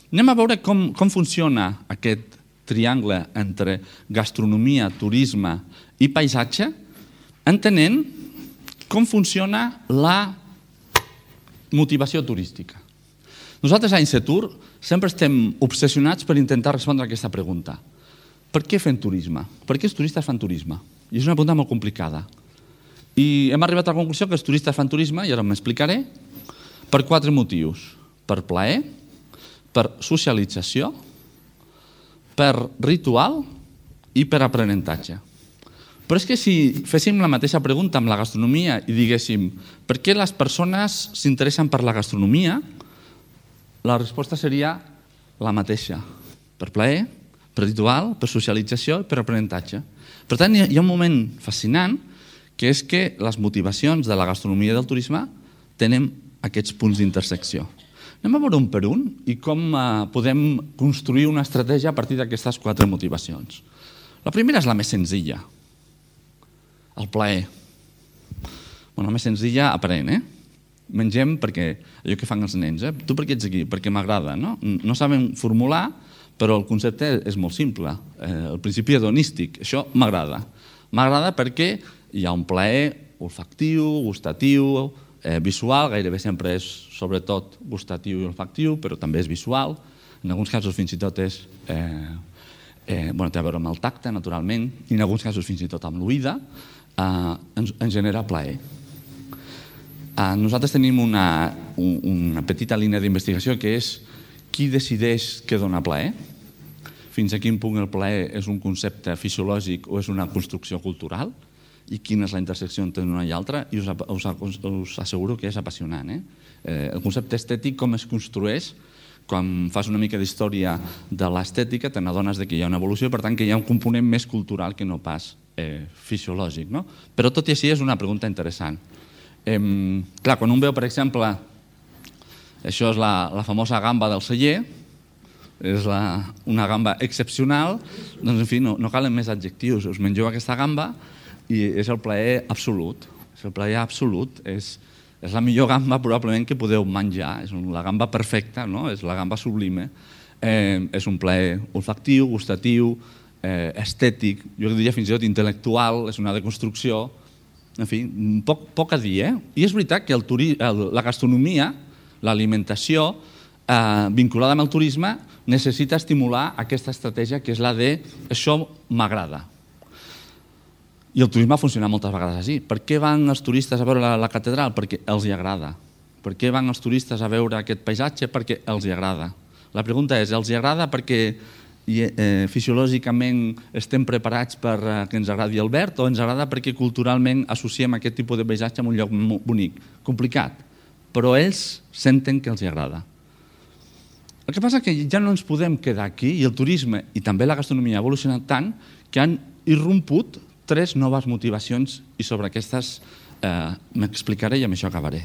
anem a veure com, com funciona aquest triangle entre gastronomia, turisme i paisatge, entenent com funciona la motivació turística. Nosaltres a Insetur sempre estem obsessionats per intentar respondre a aquesta pregunta. Per què fem turisme? Per què els turistes fan turisme? I és una pregunta molt complicada. I hem arribat a la conclusió que els turistes fan turisme, i ara m'explicaré, per quatre motius. Per plaer, per socialització, per ritual i per aprenentatge. Però és que si féssim la mateixa pregunta amb la gastronomia i diguéssim per què les persones s'interessen per la gastronomia, la resposta seria la mateixa. Per plaer, per ritual, per socialització i per aprenentatge. Per tant, hi ha un moment fascinant que és que les motivacions de la gastronomia i del turisme tenen aquests punts d'intersecció. Anem a veure un per un i com podem construir una estratègia a partir d'aquestes quatre motivacions. La primera és la més senzilla, el plaer. Bueno, la més senzilla aprèn, eh? Mengem perquè allò que fan els nens, eh? Tu per què ets aquí? Perquè m'agrada, no? No saben formular, però el concepte és molt simple. El principi hedonístic, això m'agrada. M'agrada perquè hi ha un plaer olfactiu, gustatiu, Eh, visual, gairebé sempre és sobretot gustatiu i olfactiu, però també és visual. En alguns casos fins i tot és, eh, eh, bueno, té a veure amb el tacte, naturalment, i en alguns casos fins i tot amb l'oïda, eh, ens, ens genera plaer. Eh, nosaltres tenim una, un, una petita línia d'investigació que és qui decideix què dona plaer, fins a quin punt el plaer és un concepte fisiològic o és una construcció cultural, i quina és la intersecció entre una i altra, i us, us, us asseguro que és apassionant. Eh? Eh, el concepte estètic, com es construeix, quan fas una mica d'història de l'estètica, te n'adones que hi ha una evolució, per tant que hi ha un component més cultural que no pas eh, fisiològic. No? Però tot i així és una pregunta interessant. Eh, clar, quan un veu, per exemple, això és la, la famosa gamba del celler, és la, una gamba excepcional, doncs, en fi, no, no calen més adjectius. Us mengeu aquesta gamba i és el plaer absolut. És el plaer absolut. És, és la millor gamba probablement que podeu menjar. És la gamba perfecta, no? És la gamba sublime. Eh, és un plaer olfactiu, gustatiu, eh, estètic, jo diria fins i tot intel·lectual, és una deconstrucció. En fi, poc, poc a dir, eh? I és veritat que el turi, el, la gastronomia, l'alimentació, eh, vinculada amb el turisme, necessita estimular aquesta estratègia que és la de això m'agrada. I el turisme ha funcionat moltes vegades així. Per què van els turistes a veure la, la catedral? Perquè els hi agrada. Per què van els turistes a veure aquest paisatge? Perquè els hi agrada. La pregunta és, els hi agrada perquè eh, fisiològicament estem preparats per eh, que ens agradi el verd o ens agrada perquè culturalment associem aquest tipus de paisatge a un lloc bonic? Complicat, però ells senten que els hi agrada. El que passa és que ja no ens podem quedar aquí i el turisme i també la gastronomia ha evolucionat tant que han irromput tres noves motivacions i sobre aquestes eh, m'explicaré i amb això acabaré.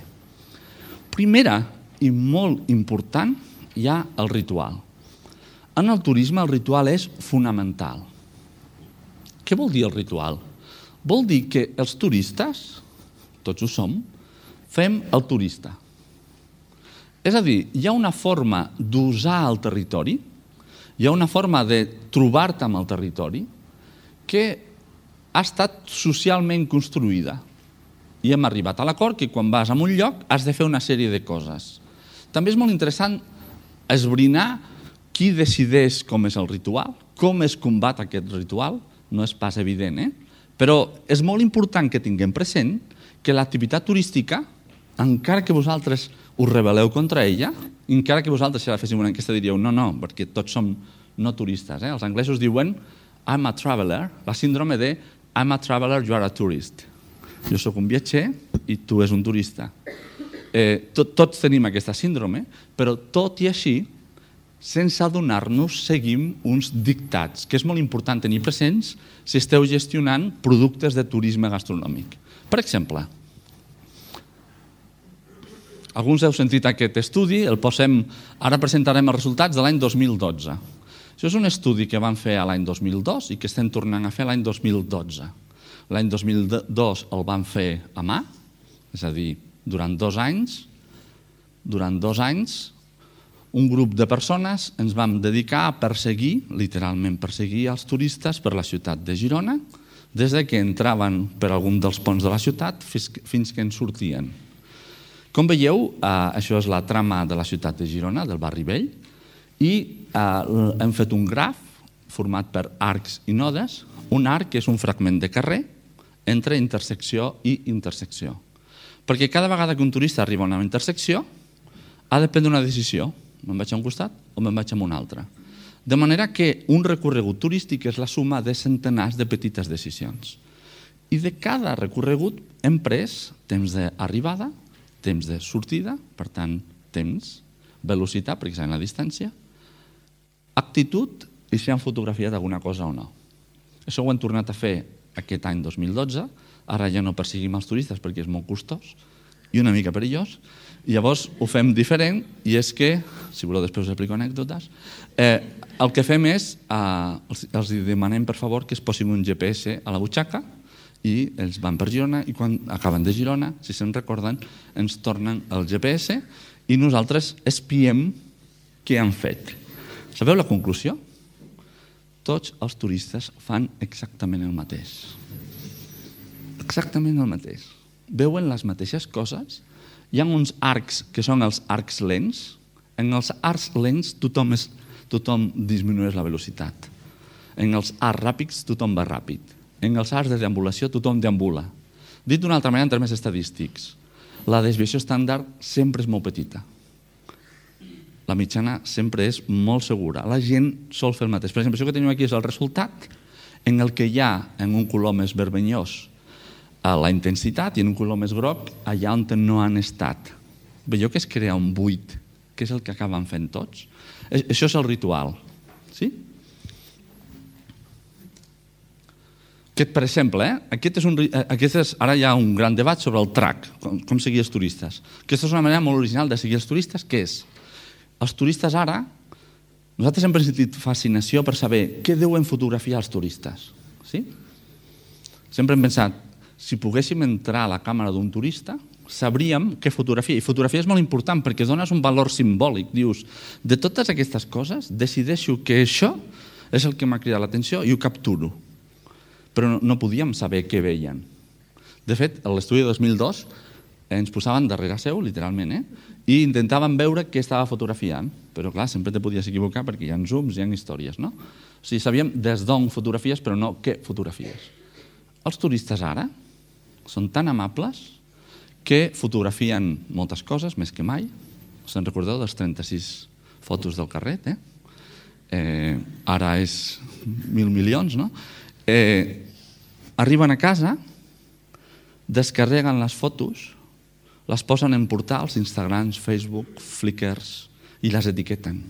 Primera i molt important hi ha el ritual. En el turisme el ritual és fonamental. Què vol dir el ritual? Vol dir que els turistes, tots ho som, fem el turista. És a dir, hi ha una forma d'usar el territori, hi ha una forma de trobar-te amb el territori que ha estat socialment construïda. I hem arribat a l'acord que quan vas a un lloc has de fer una sèrie de coses. També és molt interessant esbrinar qui decideix com és el ritual, com es combat aquest ritual, no és pas evident, eh? Però és molt important que tinguem present que l'activitat turística, encara que vosaltres us rebel·leu contra ella, encara que vosaltres si la féssiu una enquesta diríeu no, no, perquè tots som no turistes. Eh? Els anglesos diuen I'm a traveler, la síndrome de I'm a traveler, you are a tourist. Jo sóc un viatger i tu és un turista. Eh, tot, tots tenim aquesta síndrome, però tot i així, sense adonar-nos, seguim uns dictats, que és molt important tenir presents si esteu gestionant productes de turisme gastronòmic. Per exemple, alguns heu sentit aquest estudi, el posem, ara presentarem els resultats de l'any dos mil dotze. Això és un estudi que van fer l'any dos mil dos i que estem tornant a fer l'any dos mil dotze. L'any dos mil dos el van fer a mà, és a dir, durant dos anys, durant dos anys, un grup de persones ens vam dedicar a perseguir, literalment perseguir els turistes per la ciutat de Girona, des que entraven per algun dels ponts de la ciutat fins que en sortien. Com veieu, això és la trama de la ciutat de Girona, del barri vell, i hem fet un graf format per arcs i nodes. Un arc és un fragment de carrer entre intersecció i intersecció. Perquè cada vegada que un turista arriba a una intersecció ha de prendre una decisió. Me'n vaig a un costat o me'n vaig a un altre. De manera que un recorregut turístic és la suma de centenars de petites decisions. I de cada recorregut hem pres temps d'arribada, temps de sortida, per tant, temps, velocitat, perquè sabem la distància, actitud i si han fotografiat alguna cosa o no. Això ho hem tornat a fer aquest any dos mil dotze, ara ja no perseguim els turistes perquè és molt costós i una mica perillós, i llavors ho fem diferent i és que, si voleu després us explico anècdotes, eh, el que fem és, eh, els, els demanem per favor que es posin un G P S a la butxaca i ells van per Girona i quan acaben de Girona, si se'n recorden, ens tornen el G P S i nosaltres espiem què han fet. Sabeu la conclusió? Tots els turistes fan exactament el mateix. Exactament el mateix. Veuen les mateixes coses. Hi ha uns arcs que són els arcs lents. En els arcs lents tothom, és, tothom disminueix la velocitat. En els arcs ràpids tothom va ràpid. En els arcs de deambulació tothom deambula. Dit d'una altra manera, en termes estadístics, la desviació estàndard sempre és molt petita. La mitjana sempre és molt segura. La gent sol fer el mateix. Per exemple, això que tenim aquí és el resultat en el que hi ha, en un color més vermellós, la intensitat i en un color més groc, allà on no han estat. Veieu que es crea un buit, que és el que acaben fent tots? Això és el ritual. Sí? Aquest, per exemple, eh? aquest és un, aquest és, ara hi ha un gran debat sobre el track, com, com seguir els turistes. Aquesta és una manera molt original de seguir els turistes, que és, els turistes ara, nosaltres hem sentit fascinació per saber què deuen fotografiar els turistes. Sí? Sempre hem pensat, si poguéssim entrar a la càmera d'un turista, sabríem què fotografia. I fotografia és molt important perquè dones un valor simbòlic. Dius, de totes aquestes coses, decideixo que això és el que m'ha cridat l'atenció i ho capturo. Però no podíem saber què veien. De fet, a l'estudi de dos mil dos ens posaven darrere seu, literalment, eh? i intentaven veure què estava fotografiant. Però, clar, sempre te podies equivocar perquè hi ha zooms, hi ha històries, no? O sigui, sabíem des d'on fotografies, però no què fotografies. els turistes ara són tan amables que fotografien moltes coses, més que mai. Se'n recordeu dels trenta-sis fotos del carret, eh? eh ara és mil milions, no? Eh, arriben a casa, descarreguen les fotos, les posen en portals, Instagrams, Facebook, Flickrs, i les etiqueten.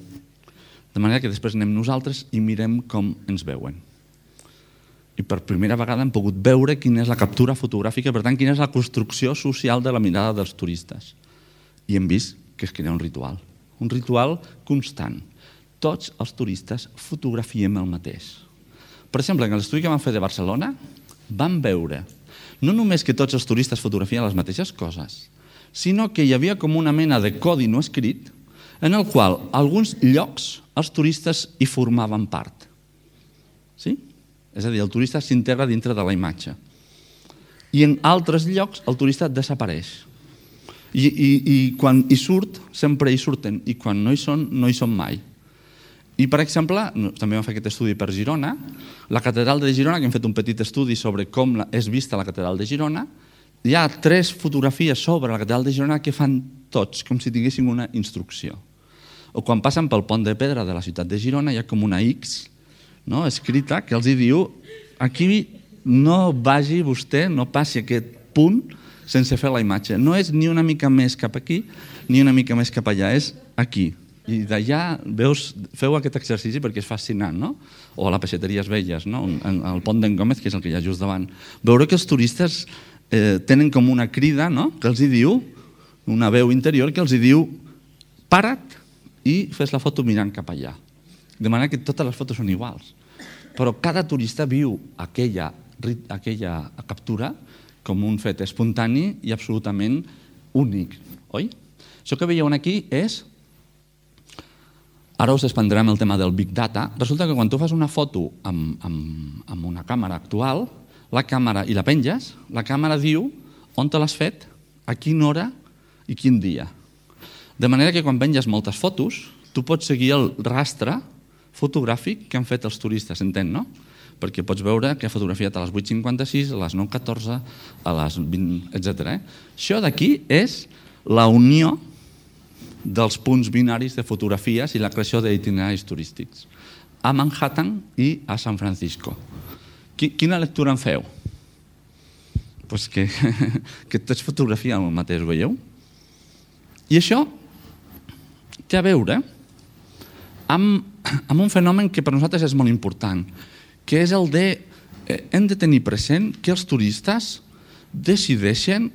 De manera que després anem nosaltres i mirem com ens veuen. I per primera vegada hem pogut veure quina és la captura fotogràfica, per tant, quina és la construcció social de la mirada dels turistes. I hem vist que es crea un ritual, un ritual constant. Tots els turistes fotografiem el mateix. Per exemple, en l'estudi que vam fer de Barcelona, vam veure no només que tots els turistes fotografien les mateixes coses, sinó que hi havia com una mena de codi no escrit en el qual alguns llocs els turistes hi formaven part. Sí? És a dir, el turista s'integra dintre de la imatge. I en altres llocs el turista desapareix. I, i, i quan hi surt, sempre hi surten, i quan no hi són, no hi són mai. I, per exemple, també vam fer aquest estudi per Girona, la catedral de Girona, que hem fet un petit estudi sobre com és vista la catedral de Girona, hi ha tres fotografies sobre la catedral de Girona que fan tots, com si tinguessin una instrucció. O quan passen pel pont de pedra de la ciutat de Girona, hi ha com una X, no, escrita, que els diu aquí no vagi vostè, no passi aquest punt sense fer la imatge. No és ni una mica més cap aquí, ni una mica més cap allà, és aquí. I d'allà veus, feu aquest exercici perquè és fascinant, no? O a la Peixateries Velles, no? Al pont d'en Gómez, que és el que hi ha just davant. Veure que els turistes eh, tenen com una crida, no?, que els hi diu, una veu interior que els hi diu para't i fes la foto mirant cap allà. De manera que totes les fotos són iguals. Però cada turista viu aquella, aquella captura com un fet espontani i absolutament únic, oi? Això que veieu aquí és... Ara us expandrem el tema del Big Data. Resulta que quan tu fas una foto amb, amb, amb una càmera actual, la càmera i la penges, la càmera diu on te l'has fet, a quina hora i quin dia. De manera que quan penges moltes fotos, tu pots seguir el rastre fotogràfic que han fet els turistes, entén, no? Perquè pots veure que ha fotografiat a les vuit cinquanta-sis, a les nou catorze, a les vint, etcètera. Això d'aquí és la unió dels punts binaris de fotografies i la creació d'itineraris turístics a Manhattan i a San Francisco. Quina lectura en feu? Pues que, que tots fotografien el mateix, veieu? I això té a veure amb, amb un fenomen que per nosaltres és molt important, que és el de, eh, hem de tenir present que els turistes decideixen,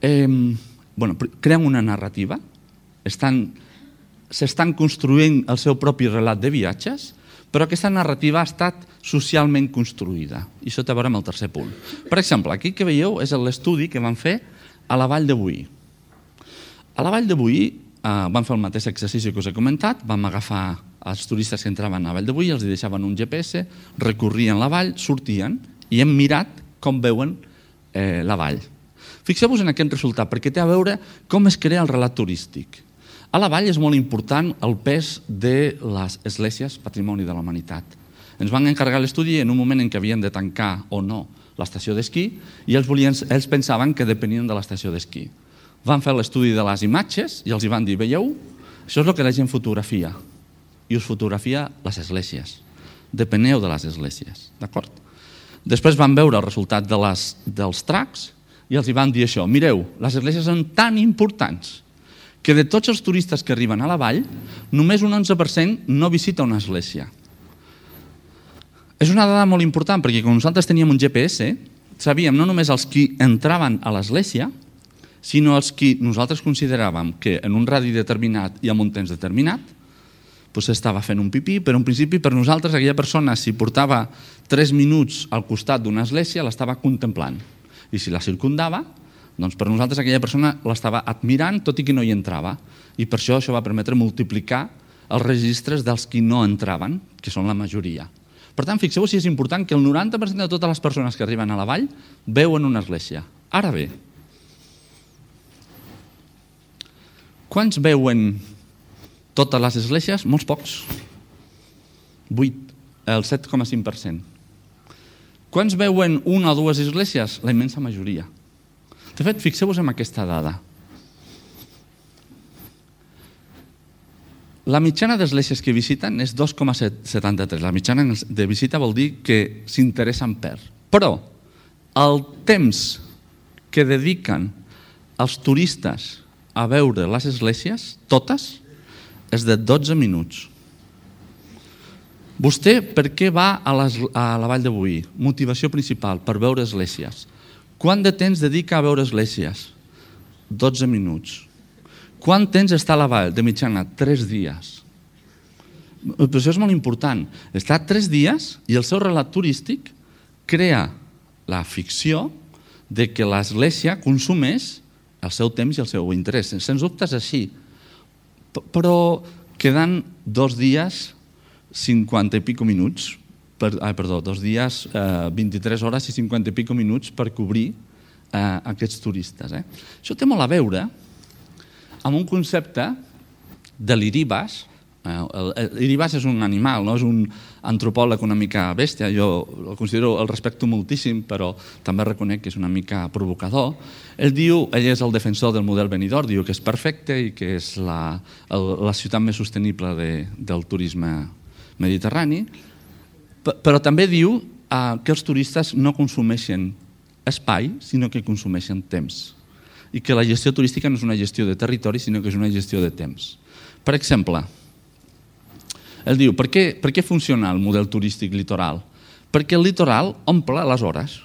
eh, bueno, creen una narrativa, estan, s'estan construint el seu propi relat de viatges, però aquesta narrativa ha estat socialment construïda. I això té a veure amb el tercer punt. Per exemple, aquí que veieu és l'estudi que van fer a la Vall de Boí. A la Vall de Boí eh, van fer el mateix exercici que us he comentat, vam agafar els turistes que entraven a la Vall de Boí, els deixaven un G P S, recorrien la vall, sortien i hem mirat com veuen eh, la vall. Fixeu-vos en aquest resultat, perquè té a veure com es crea el relat turístic. A la vall és molt important el pes de les esglésies Patrimoni de la Humanitat. Ens van encarregar l'estudi en un moment en què havien de tancar o no l'estació d'esquí i ells, volien, ells pensaven que depenien de l'estació d'esquí. Van fer l'estudi de les imatges i els hi van dir, veieu, això és el que la gent fotografia i us fotografia les esglésies. Depeneu de les esglésies, d'acord? Després van veure el resultat de les, dels tracks i els hi van dir això, mireu, les esglésies són tan importants que de tots els turistes que arriben a la vall, només un onze per cent no visita una església. És una dada molt important, perquè quan nosaltres teníem un G P S, sabíem no només els qui entraven a l'església, sinó els qui nosaltres consideràvem que en un radi determinat i en un temps determinat doncs estava fent un pipí, però en principi per nosaltres aquella persona, si portava tres minuts al costat d'una església, l'estava contemplant. I si la circundava, doncs per nosaltres aquella persona l'estava admirant tot i que no hi entrava. I per això això va permetre multiplicar els registres dels qui no entraven, que són la majoria. Per tant, fixeu-vos si és important que el noranta per cent de totes les persones que arriben a la vall veuen una església. Ara bé, quants veuen totes les esglésies? Molts pocs. vuit, el set coma cinc per cent. Quants veuen una o dues esglésies? La immensa majoria. De fet, fixeu-vos en aquesta dada. La mitjana d'esglésies que visiten és dos coma setanta-tres. La mitjana de visita vol dir que s'interessen per. Però el temps que dediquen els turistes a veure les esglésies, totes, és de dotze minuts. Vostè per què va a, les, a la Vall de Boí? Motivació principal, per veure esglésies. Quant de temps dedica a veure esglésies? dotze minuts. Quant temps està a la Vall? De mitjana, tres dies. Però això és molt important. Està tres dies i el seu relat turístic crea la ficció de que l'església consumeix el seu temps i el seu interès. Sens dubte és així. Però queden dos dies cinquanta i pico minuts, per, ah, perdó, dos dies, eh, vint-i-tres hores i cinquanta i pico minuts per cobrir eh, aquests turistes. Eh? Això té molt a veure amb un concepte de l'iribas. L'iribas és un animal, no és un antropòleg una mica bèstia, jo el considero, el respecto moltíssim, però també reconec que és una mica provocador. Ell diu, ell és el defensor del model Benidorm, diu que és perfecte i que és la, la ciutat més sostenible de, del turisme mediterrani, però també diu eh, que els turistes no consumeixen espai, sinó que consumeixen temps. I que la gestió turística no és una gestió de territori, sinó que és una gestió de temps. Per exemple, ell diu, per què, per què funciona el model turístic litoral? Perquè el litoral omple les hores.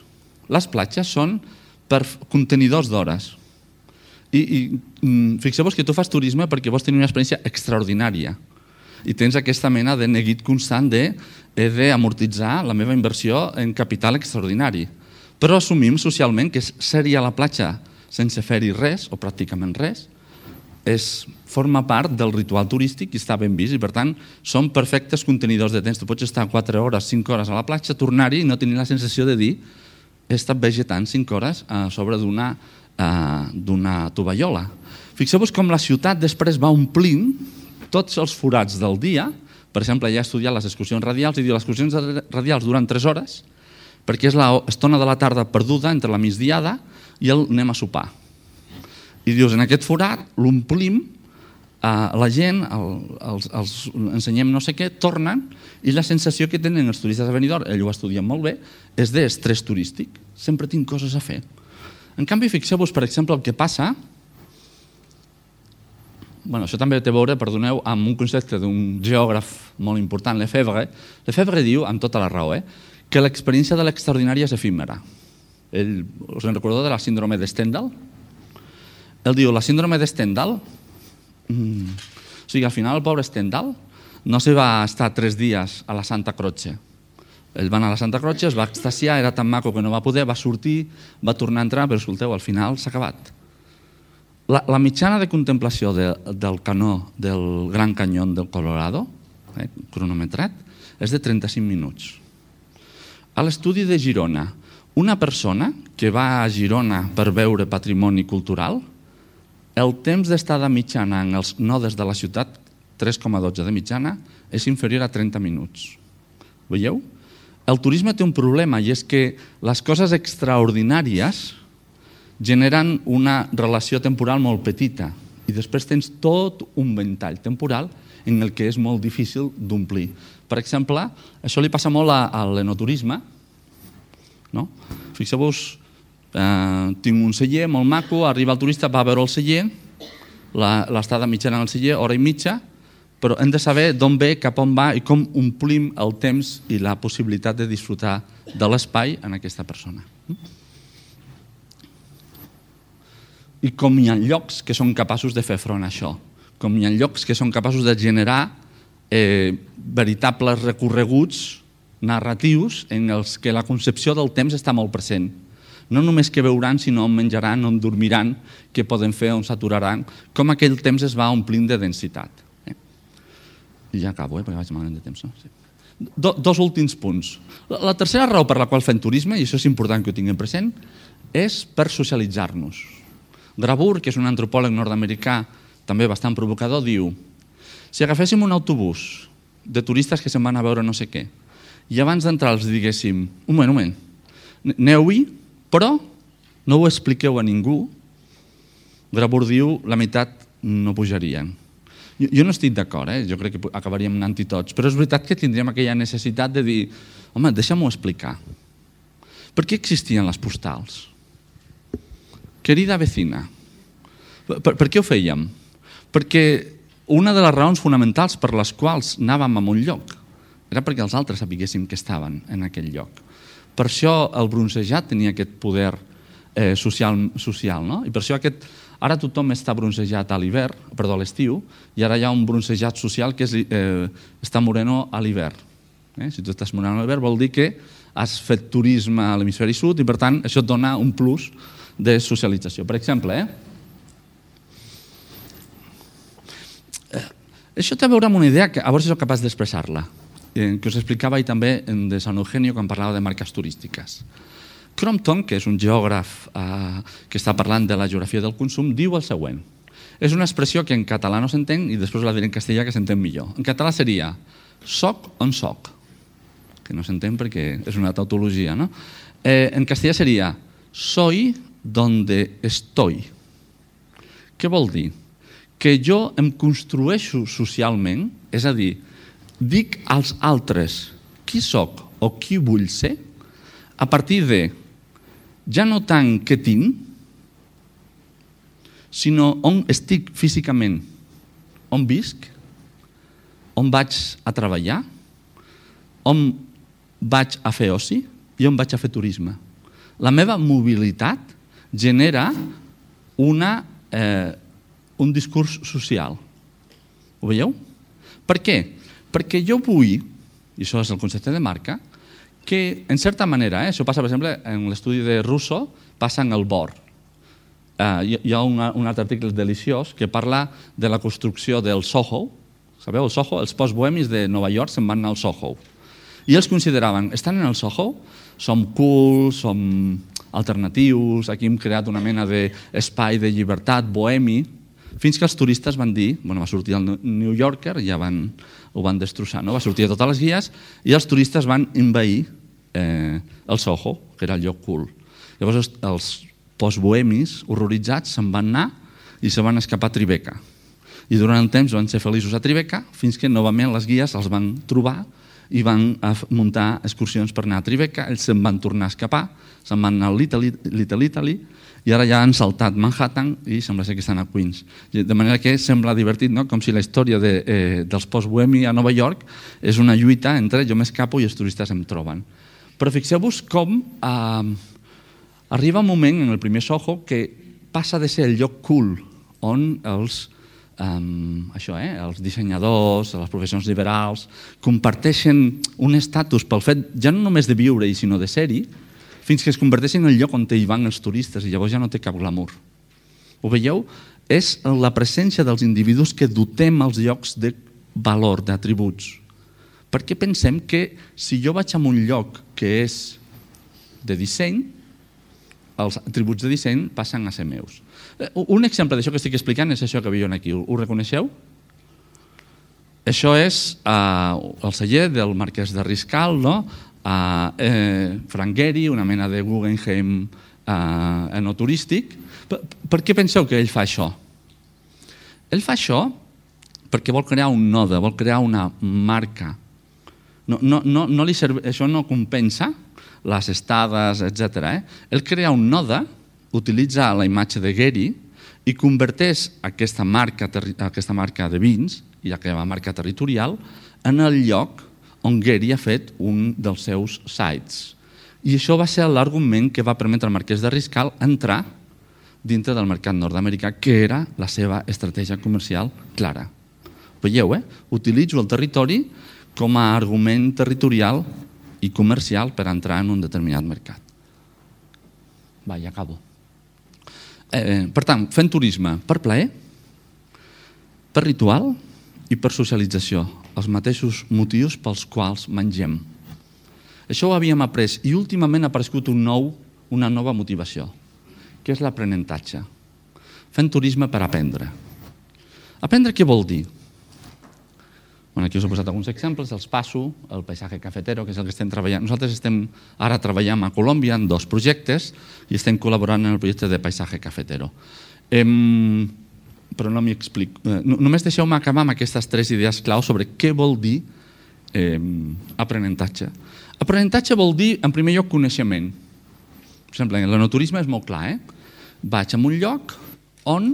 Les platges són per contenidors d'hores. I, i fixeu-vos que tu fas turisme perquè vols tenir una experiència extraordinària. I tens aquesta mena de neguit constant de he d'amortitzar la meva inversió en capital extraordinari. Però assumim socialment que ser-hi a la platja sense fer-hi res, o pràcticament res, és, forma part del ritual turístic i està ben vist, i per tant són perfectes contenidors de temps. Tu pots estar quatre hores, cinc hores a la platja, tornar-hi i no tenir la sensació de dir he estat vegetant cinc hores a sobre d'una uh, d'una tovallola. Fixeu-vos com la ciutat després va omplint tots els forats del dia. Per exemple, ja he estudiat les excursions radials i diu les excursions radials duren tres hores perquè és l'estona de la tarda perduda entre la migdiada i el anem a sopar. I dius, en aquest forat l'omplim, eh, la gent, el, els, els ensenyem no sé què, tornen, i la sensació que tenen els turistes de Benidorm, ell ho estudia molt bé, és d'estrès turístic. Sempre tinc coses a fer. En canvi, fixeu-vos, per exemple, el que passa, bueno, això també té a veure, perdoneu, amb un concepte d'un geògraf molt important, Lefebvre. Lefebvre diu, amb tota la raó, eh, que l'experiència de l'extraordinària és efímera. Ell, us en recordeu de la síndrome de Stendhal? Ell diu, la síndrome de Stendhal, mm, o sigui, al final el pobre Stendhal no se va estar tres dies a la Santa Croce. Ell va anar a la Santa Croce, es va extasiar, era tan maco que no va poder, va sortir, va tornar a entrar, però escolteu, al final s'ha acabat. La, la mitjana de contemplació de, del canó del Gran Canyón del Colorado, eh, cronometrat, és de trenta-cinc minuts. A l'estudi de Girona, una persona que va a Girona per veure patrimoni cultural, el temps d'estada mitjana en els nodes de la ciutat, tres coma dotze de mitjana, és inferior a trenta minuts. Veieu? El turisme té un problema i és que les coses extraordinàries generen una relació temporal molt petita i després tens tot un ventall temporal en el que és molt difícil d'omplir. Per exemple, això li passa molt a, a l'enoturisme. No? Fixeu-vos, eh, tinc un celler molt maco, arriba el turista, va a veure el celler, l'estada mitjana en el celler, hora i mitja, però hem de saber d'on ve, cap on va i com omplim el temps i la possibilitat de disfrutar de l'espai en aquesta persona. I com hi ha llocs que són capaços de fer front a això, com hi ha llocs que són capaços de generar eh, veritables recorreguts narratius en els que la concepció del temps està molt present. No només què veuran, sinó on menjaran, on dormiran, què poden fer, on s'aturaran, com aquell temps es va omplint de densitat. Eh? I ja acabo, eh, perquè vaig malament de temps. No? Sí. Do, dos últims punts. La, la tercera raó per la qual fem turisme, i això és important que ho tinguem present, és per socialitzar-nos. Grabur, que és un antropòleg nord-americà també bastant provocador, diu: si agaféssim un autobús de turistes que se'n van a veure no sé què i abans d'entrar els diguéssim, un moment, un moment, Aneu-hi, però no ho expliqueu a ningú. Grabur diu, la meitat no pujarien. Jo, jo no estic d'acord, eh? Jo crec que acabaríem anant-hi tots, però és veritat que tindríem aquella necessitat de dir, home, deixa'm-ho explicar. Per què existien les postals? Querida vecina. Per, per què ho fèiem? Perquè una de les raons fonamentals per les quals anàvem a un lloc era perquè els altres sapiguéssim que estaven en aquell lloc. Per això el bronzejat tenia aquest poder eh, social, social, no? I per això aquest, ara tothom està bronzejat a l'hivern, perdó, a l'estiu, i ara hi ha un bronzejat social que és eh, estar moreno a l'hivern. Eh? Si tu estàs moreno a l'hivern vol dir que has fet turisme a l'hemisferi sud i per tant això et dona un plus de socialització. Per exemple, eh? Això té a veure amb una idea que a veure si soc capaç d'expressar-la, que us explicava ahir també de San Eugenio quan parlava de marques turístiques. Crompton, que és un geògraf eh, que està parlant de la geografia del consum, diu el següent. És una expressió que en català no s'entén i després la diré en castellà que s'entén millor. En català seria soc on soc, que no s'entén perquè és una tautologia, no? Eh, en castellà seria soy donde estoy. Què vol dir? Que jo em construeixo socialment, és a dir, dic als altres qui soc o qui vull ser, a partir de ja no tant què tinc, sinó on estic físicament, on visc, on vaig a treballar, on vaig a fer oci i on vaig a fer turisme. La meva mobilitat genera una, eh, un discurs social. Ho veieu? Per què? Perquè jo vull, i això és el concepte de marca, que en certa manera, eh, això passa per exemple en l'estudi de Russo, passa en el Bor. Eh, hi ha una, un altre article deliciós que parla de la construcció del Soho. Sabeu, el Soho, els postbohemis de Nova York se'n van anar al Soho. I ells consideraven, estan en el Soho, som cool, som alternatius, aquí hem creat una mena d'espai de llibertat, bohemi, fins que els turistes van dir, bueno, va sortir el New Yorker, ja van, ho van destrossar, no? Va sortir a totes les guies i els turistes van envair eh, el Soho, que era el lloc cool. Llavors els, els postbohemis horroritzats se'n van anar i se van escapar a Tribeca. I durant un temps van ser feliços a Tribeca fins que novament les guies els van trobar i van muntar excursions per anar a Tribeca, ells se'n van tornar a escapar, se'n van anar a Little Italy i ara ja han saltat Manhattan i sembla ser que estan a Queens. De manera que sembla divertit, no? Com si la història de, eh, dels post-bohemi a Nova York és una lluita entre jo m'escapo i els turistes em troben. Però fixeu-vos com eh, arriba un moment en el primer Soho que passa de ser el lloc cool on els Um, això, eh? els dissenyadors, les professions liberals, comparteixen un estatus pel fet ja no només de viure-hi, sinó de ser-hi, fins que es converteixen en el lloc on hi van els turistes i llavors ja no té cap glamour. Ho veieu? És la presència dels individus que dotem els llocs de valor, d'atributs. Perquè pensem que si jo vaig a un lloc que és de disseny, els atributs de disseny passen a ser meus. Un exemple d'això que estic explicant és això que veieu aquí. Ho reconeixeu? Això és uh, el celler del marquès de Riscal, no? uh, eh, Frank Gehry, una mena de Guggenheim uh, enoturístic. Per, per què penseu que ell fa això? Ell fa això perquè vol crear un node, vol crear una marca. No, no, no, no li serve, això no compensa les estades, etcètera. Eh? Ell crea un node, utilitza la imatge de Gehry i converteix aquesta marca, aquesta marca de vins i aquesta marca territorial en el lloc on Gehry ha fet un dels seus sites. I això va ser l'argument que va permetre al marquès de Riscal entrar dintre del mercat nord-americà, que era la seva estratègia comercial clara. Veieu, eh? Utilitzo el territori com a argument territorial i comercial per entrar en un determinat mercat. Va, ja acabo. Eh, per tant, fent turisme per plaer, per ritual i per socialització, els mateixos motius pels quals mengem. Això ho havíem après i últimament ha aparegut un nou, una nova motivació, que és l'aprenentatge. Fent turisme per aprendre. Aprendre què vol dir? Aquí us he posat alguns exemples, els passo, el paisatge cafetero, que és el que estem treballant. Nosaltres estem ara treballant a Colòmbia en dos projectes i estem col·laborant en el projecte de paisatge cafetero. Però no m'hi explico. Només deixeu-me acabar amb aquestes tres idees clau sobre què vol dir aprenentatge. Aprenentatge vol dir, en primer lloc, coneixement. Per exemple, l'enoturisme és molt clar. Vaig a un lloc on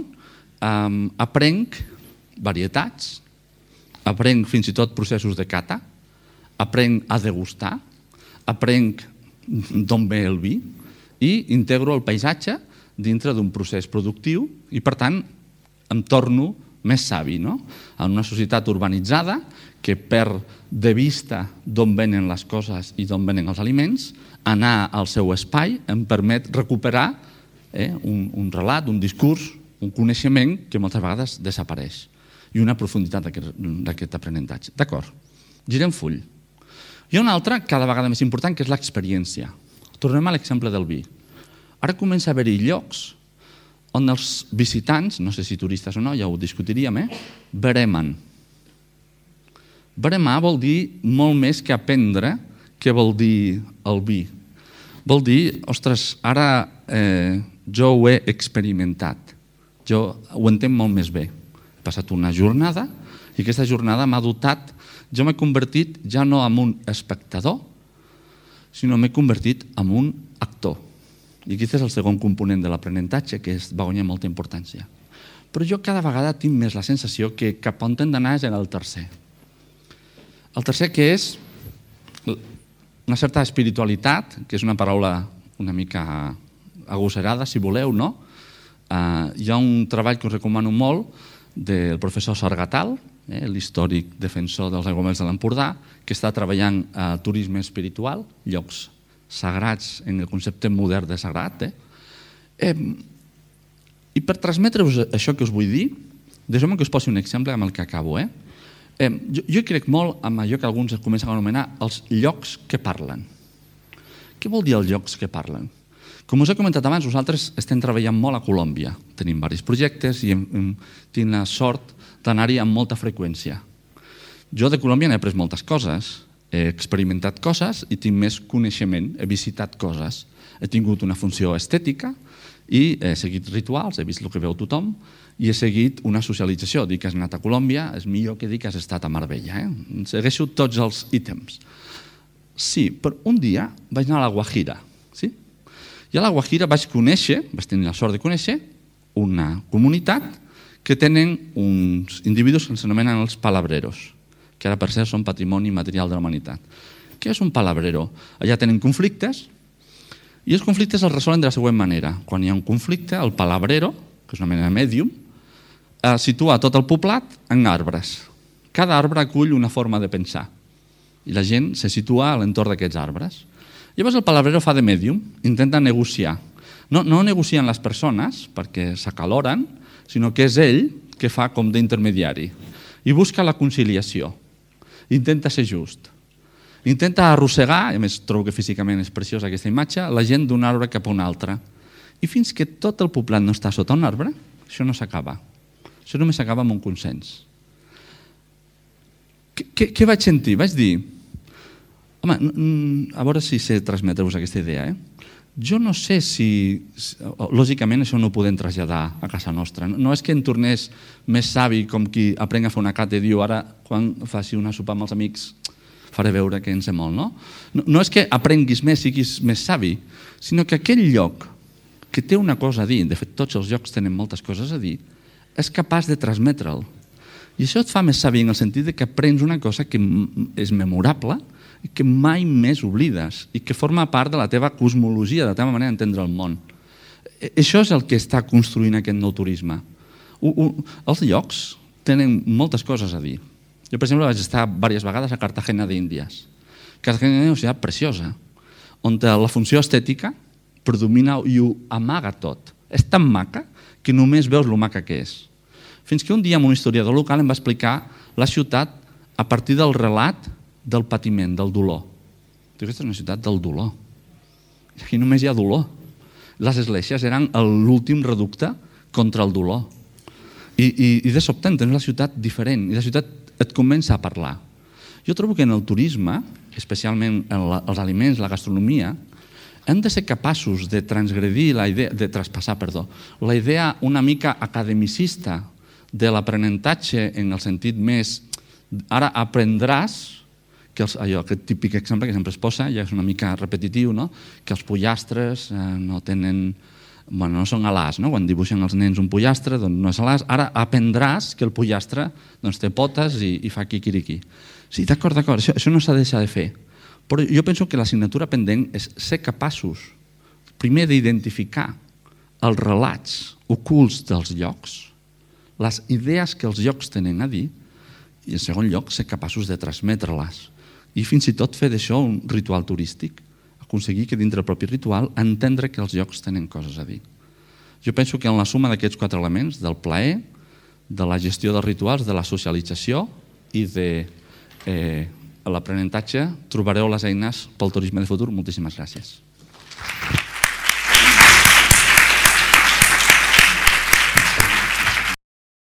aprenc varietats, aprenc fins i tot processos de cata, aprenc a degustar, aprenc d'on ve el vi i integro el paisatge dintre d'un procés productiu i, per tant, em torno més savi. En una societat urbanitzada que perd de vista d'on venen les coses i d'on venen els aliments, anar al seu espai em permet recuperar un relat, un discurs, un coneixement que moltes vegades desapareix i una profunditat d'aquest aprenentatge. D'acord, girem full. Hi ha una altra cada vegada més important, que és l'experiència. Tornem a l'exemple del vi. Ara comença a haver-hi llocs on els visitants, no sé si turistes o no, ja ho discutiríem, beremen. Beremar vol dir molt més que aprendre què vol dir el vi. Vol dir, ostres, ara jo ho he experimentat, jo ho entenc molt més bé. He passat una jornada i aquesta jornada m'ha dotat, jo m'he convertit ja no en un espectador, sinó m'he convertit en un actor. I aquest és el segon component de l'aprenentatge, que va guanyar molta importància. Però jo cada vegada tinc més la sensació que cap on hem d'anar és el tercer. El tercer, que és una certa espiritualitat, que és una paraula una mica agosserada, si voleu, no? Hi ha un treball que us recomano molt del professor Sargatal, l'històric defensor dels aiguamolls de l'Empordà, que està treballant a turisme espiritual, llocs sagrats en el concepte modern de sagrat. I per transmetre-vos això que us vull dir, deixeu-me que us posi un exemple amb el que acabo. Jo crec molt en allò que alguns comencen a anomenar els llocs que parlen. Què vol dir els llocs que parlen? Com us he comentat abans, nosaltres estem treballant molt a Colòmbia. Tenim diversos projectes i tinc la sort d'anar-hi amb molta freqüència. Jo de Colòmbia n'he après moltes coses, he experimentat coses i tinc més coneixement, he visitat coses. He tingut una funció estètica i he seguit rituals, he vist el que veu tothom i he seguit una socialització. Dir que has anat a Colòmbia és millor que dir que has estat a Marbella. Segueixo tots els ítems. Sí, però un dia vaig anar a la Guajira. I a la Guajira vaig conèixer, vaig tenir la sort de conèixer, una comunitat que tenen uns individus que s'anomenen els palabreros, que ara per cert són patrimoni material de la humanitat. Què és un palabrero? Allà tenen conflictes i els conflictes els resolen de la següent manera. Quan hi ha un conflicte, el palabrero, que és una mena de mèdium, situa tot el poblat en arbres. Cada arbre acull una forma de pensar i la gent se situa a l'entorn d'aquests arbres. Llavors el palabrero fa de mèdium, intenta negociar. No, no negocien les persones perquè s'acaloren, sinó que és ell que fa com d'intermediari i busca la conciliació. Intenta ser just. Intenta arrossegar, i a més trobo que físicament és preciosa aquesta imatge, la gent d'un arbre cap a un altre. I fins que tot el poblat no està sota un arbre, això no s'acaba. Això només s'acaba amb un consens. Què, què vaig sentir? Vaig dir, home, a veure si sé transmetre-vos aquesta idea. Eh? Jo no sé si, lògicament, això no ho podem traslladar a casa nostra. No és que en tornés més savi com qui aprèn a fer una cata i diu ara, quan faci una sopa amb els amics, faré veure que en sé molt, no? No és que aprenguis més, siguis més savi, sinó que aquell lloc que té una cosa a dir, de fet tots els llocs tenen moltes coses a dir, és capaç de transmetre'l. I això et fa més savi en el sentit que aprens una cosa que és memorable i que mai més oblides i que forma part de la teva cosmologia, de la teva manera d'entendre el món. Això és el que està construint aquest nou turisme. Els llocs tenen moltes coses a dir. Jo, per exemple, vaig estar diverses vegades a Cartagena d'Índies. Cartagena és una ciutat preciosa, on la funció estètica predomina i ho amaga tot. És tan maca que només veus lo maca que és. Fins que un dia un historiador local em va explicar la ciutat a partir del relat del patiment, del dolor. Aquesta és una ciutat del dolor. Aquí només hi ha dolor. Les esglésies eren l'últim reducte contra el dolor. I, i, i de sobte entens la ciutat diferent. I la ciutat et comença a parlar. Jo trobo que en el turisme, especialment en la, els aliments, la gastronomia, hem de ser capaços de transgredir la idea, de traspassar, perdó, la idea una mica academicista de l'aprenentatge en el sentit més ara aprendràs, que els, allò, aquest típic exemple que sempre es posa, ja és una mica repetitiu, no? Que els pollastres eh, no tenen, bueno, no són alars, no? Quan dibuixen els nens un pollastre, doncs no és alars, ara aprendràs que el pollastre doncs, té potes i, i fa quiquiriqui. Sí, d'acord, d'acord, això, això no s'ha de deixar de fer. Però jo penso que l'assignatura pendent és ser capaços, primer, d'identificar els relats ocults dels llocs, les idees que els llocs tenen a dir, i en segon lloc, ser capaços de transmetre-les. I fins i tot fer d'això un ritual turístic, aconseguir que dintre del propi ritual entendre que els llocs tenen coses a dir. Jo penso que en la suma d'aquests quatre elements, del plaer, de la gestió dels rituals, de la socialització i de eh, l'aprenentatge, trobareu les eines pel turisme de futur. Moltíssimes gràcies.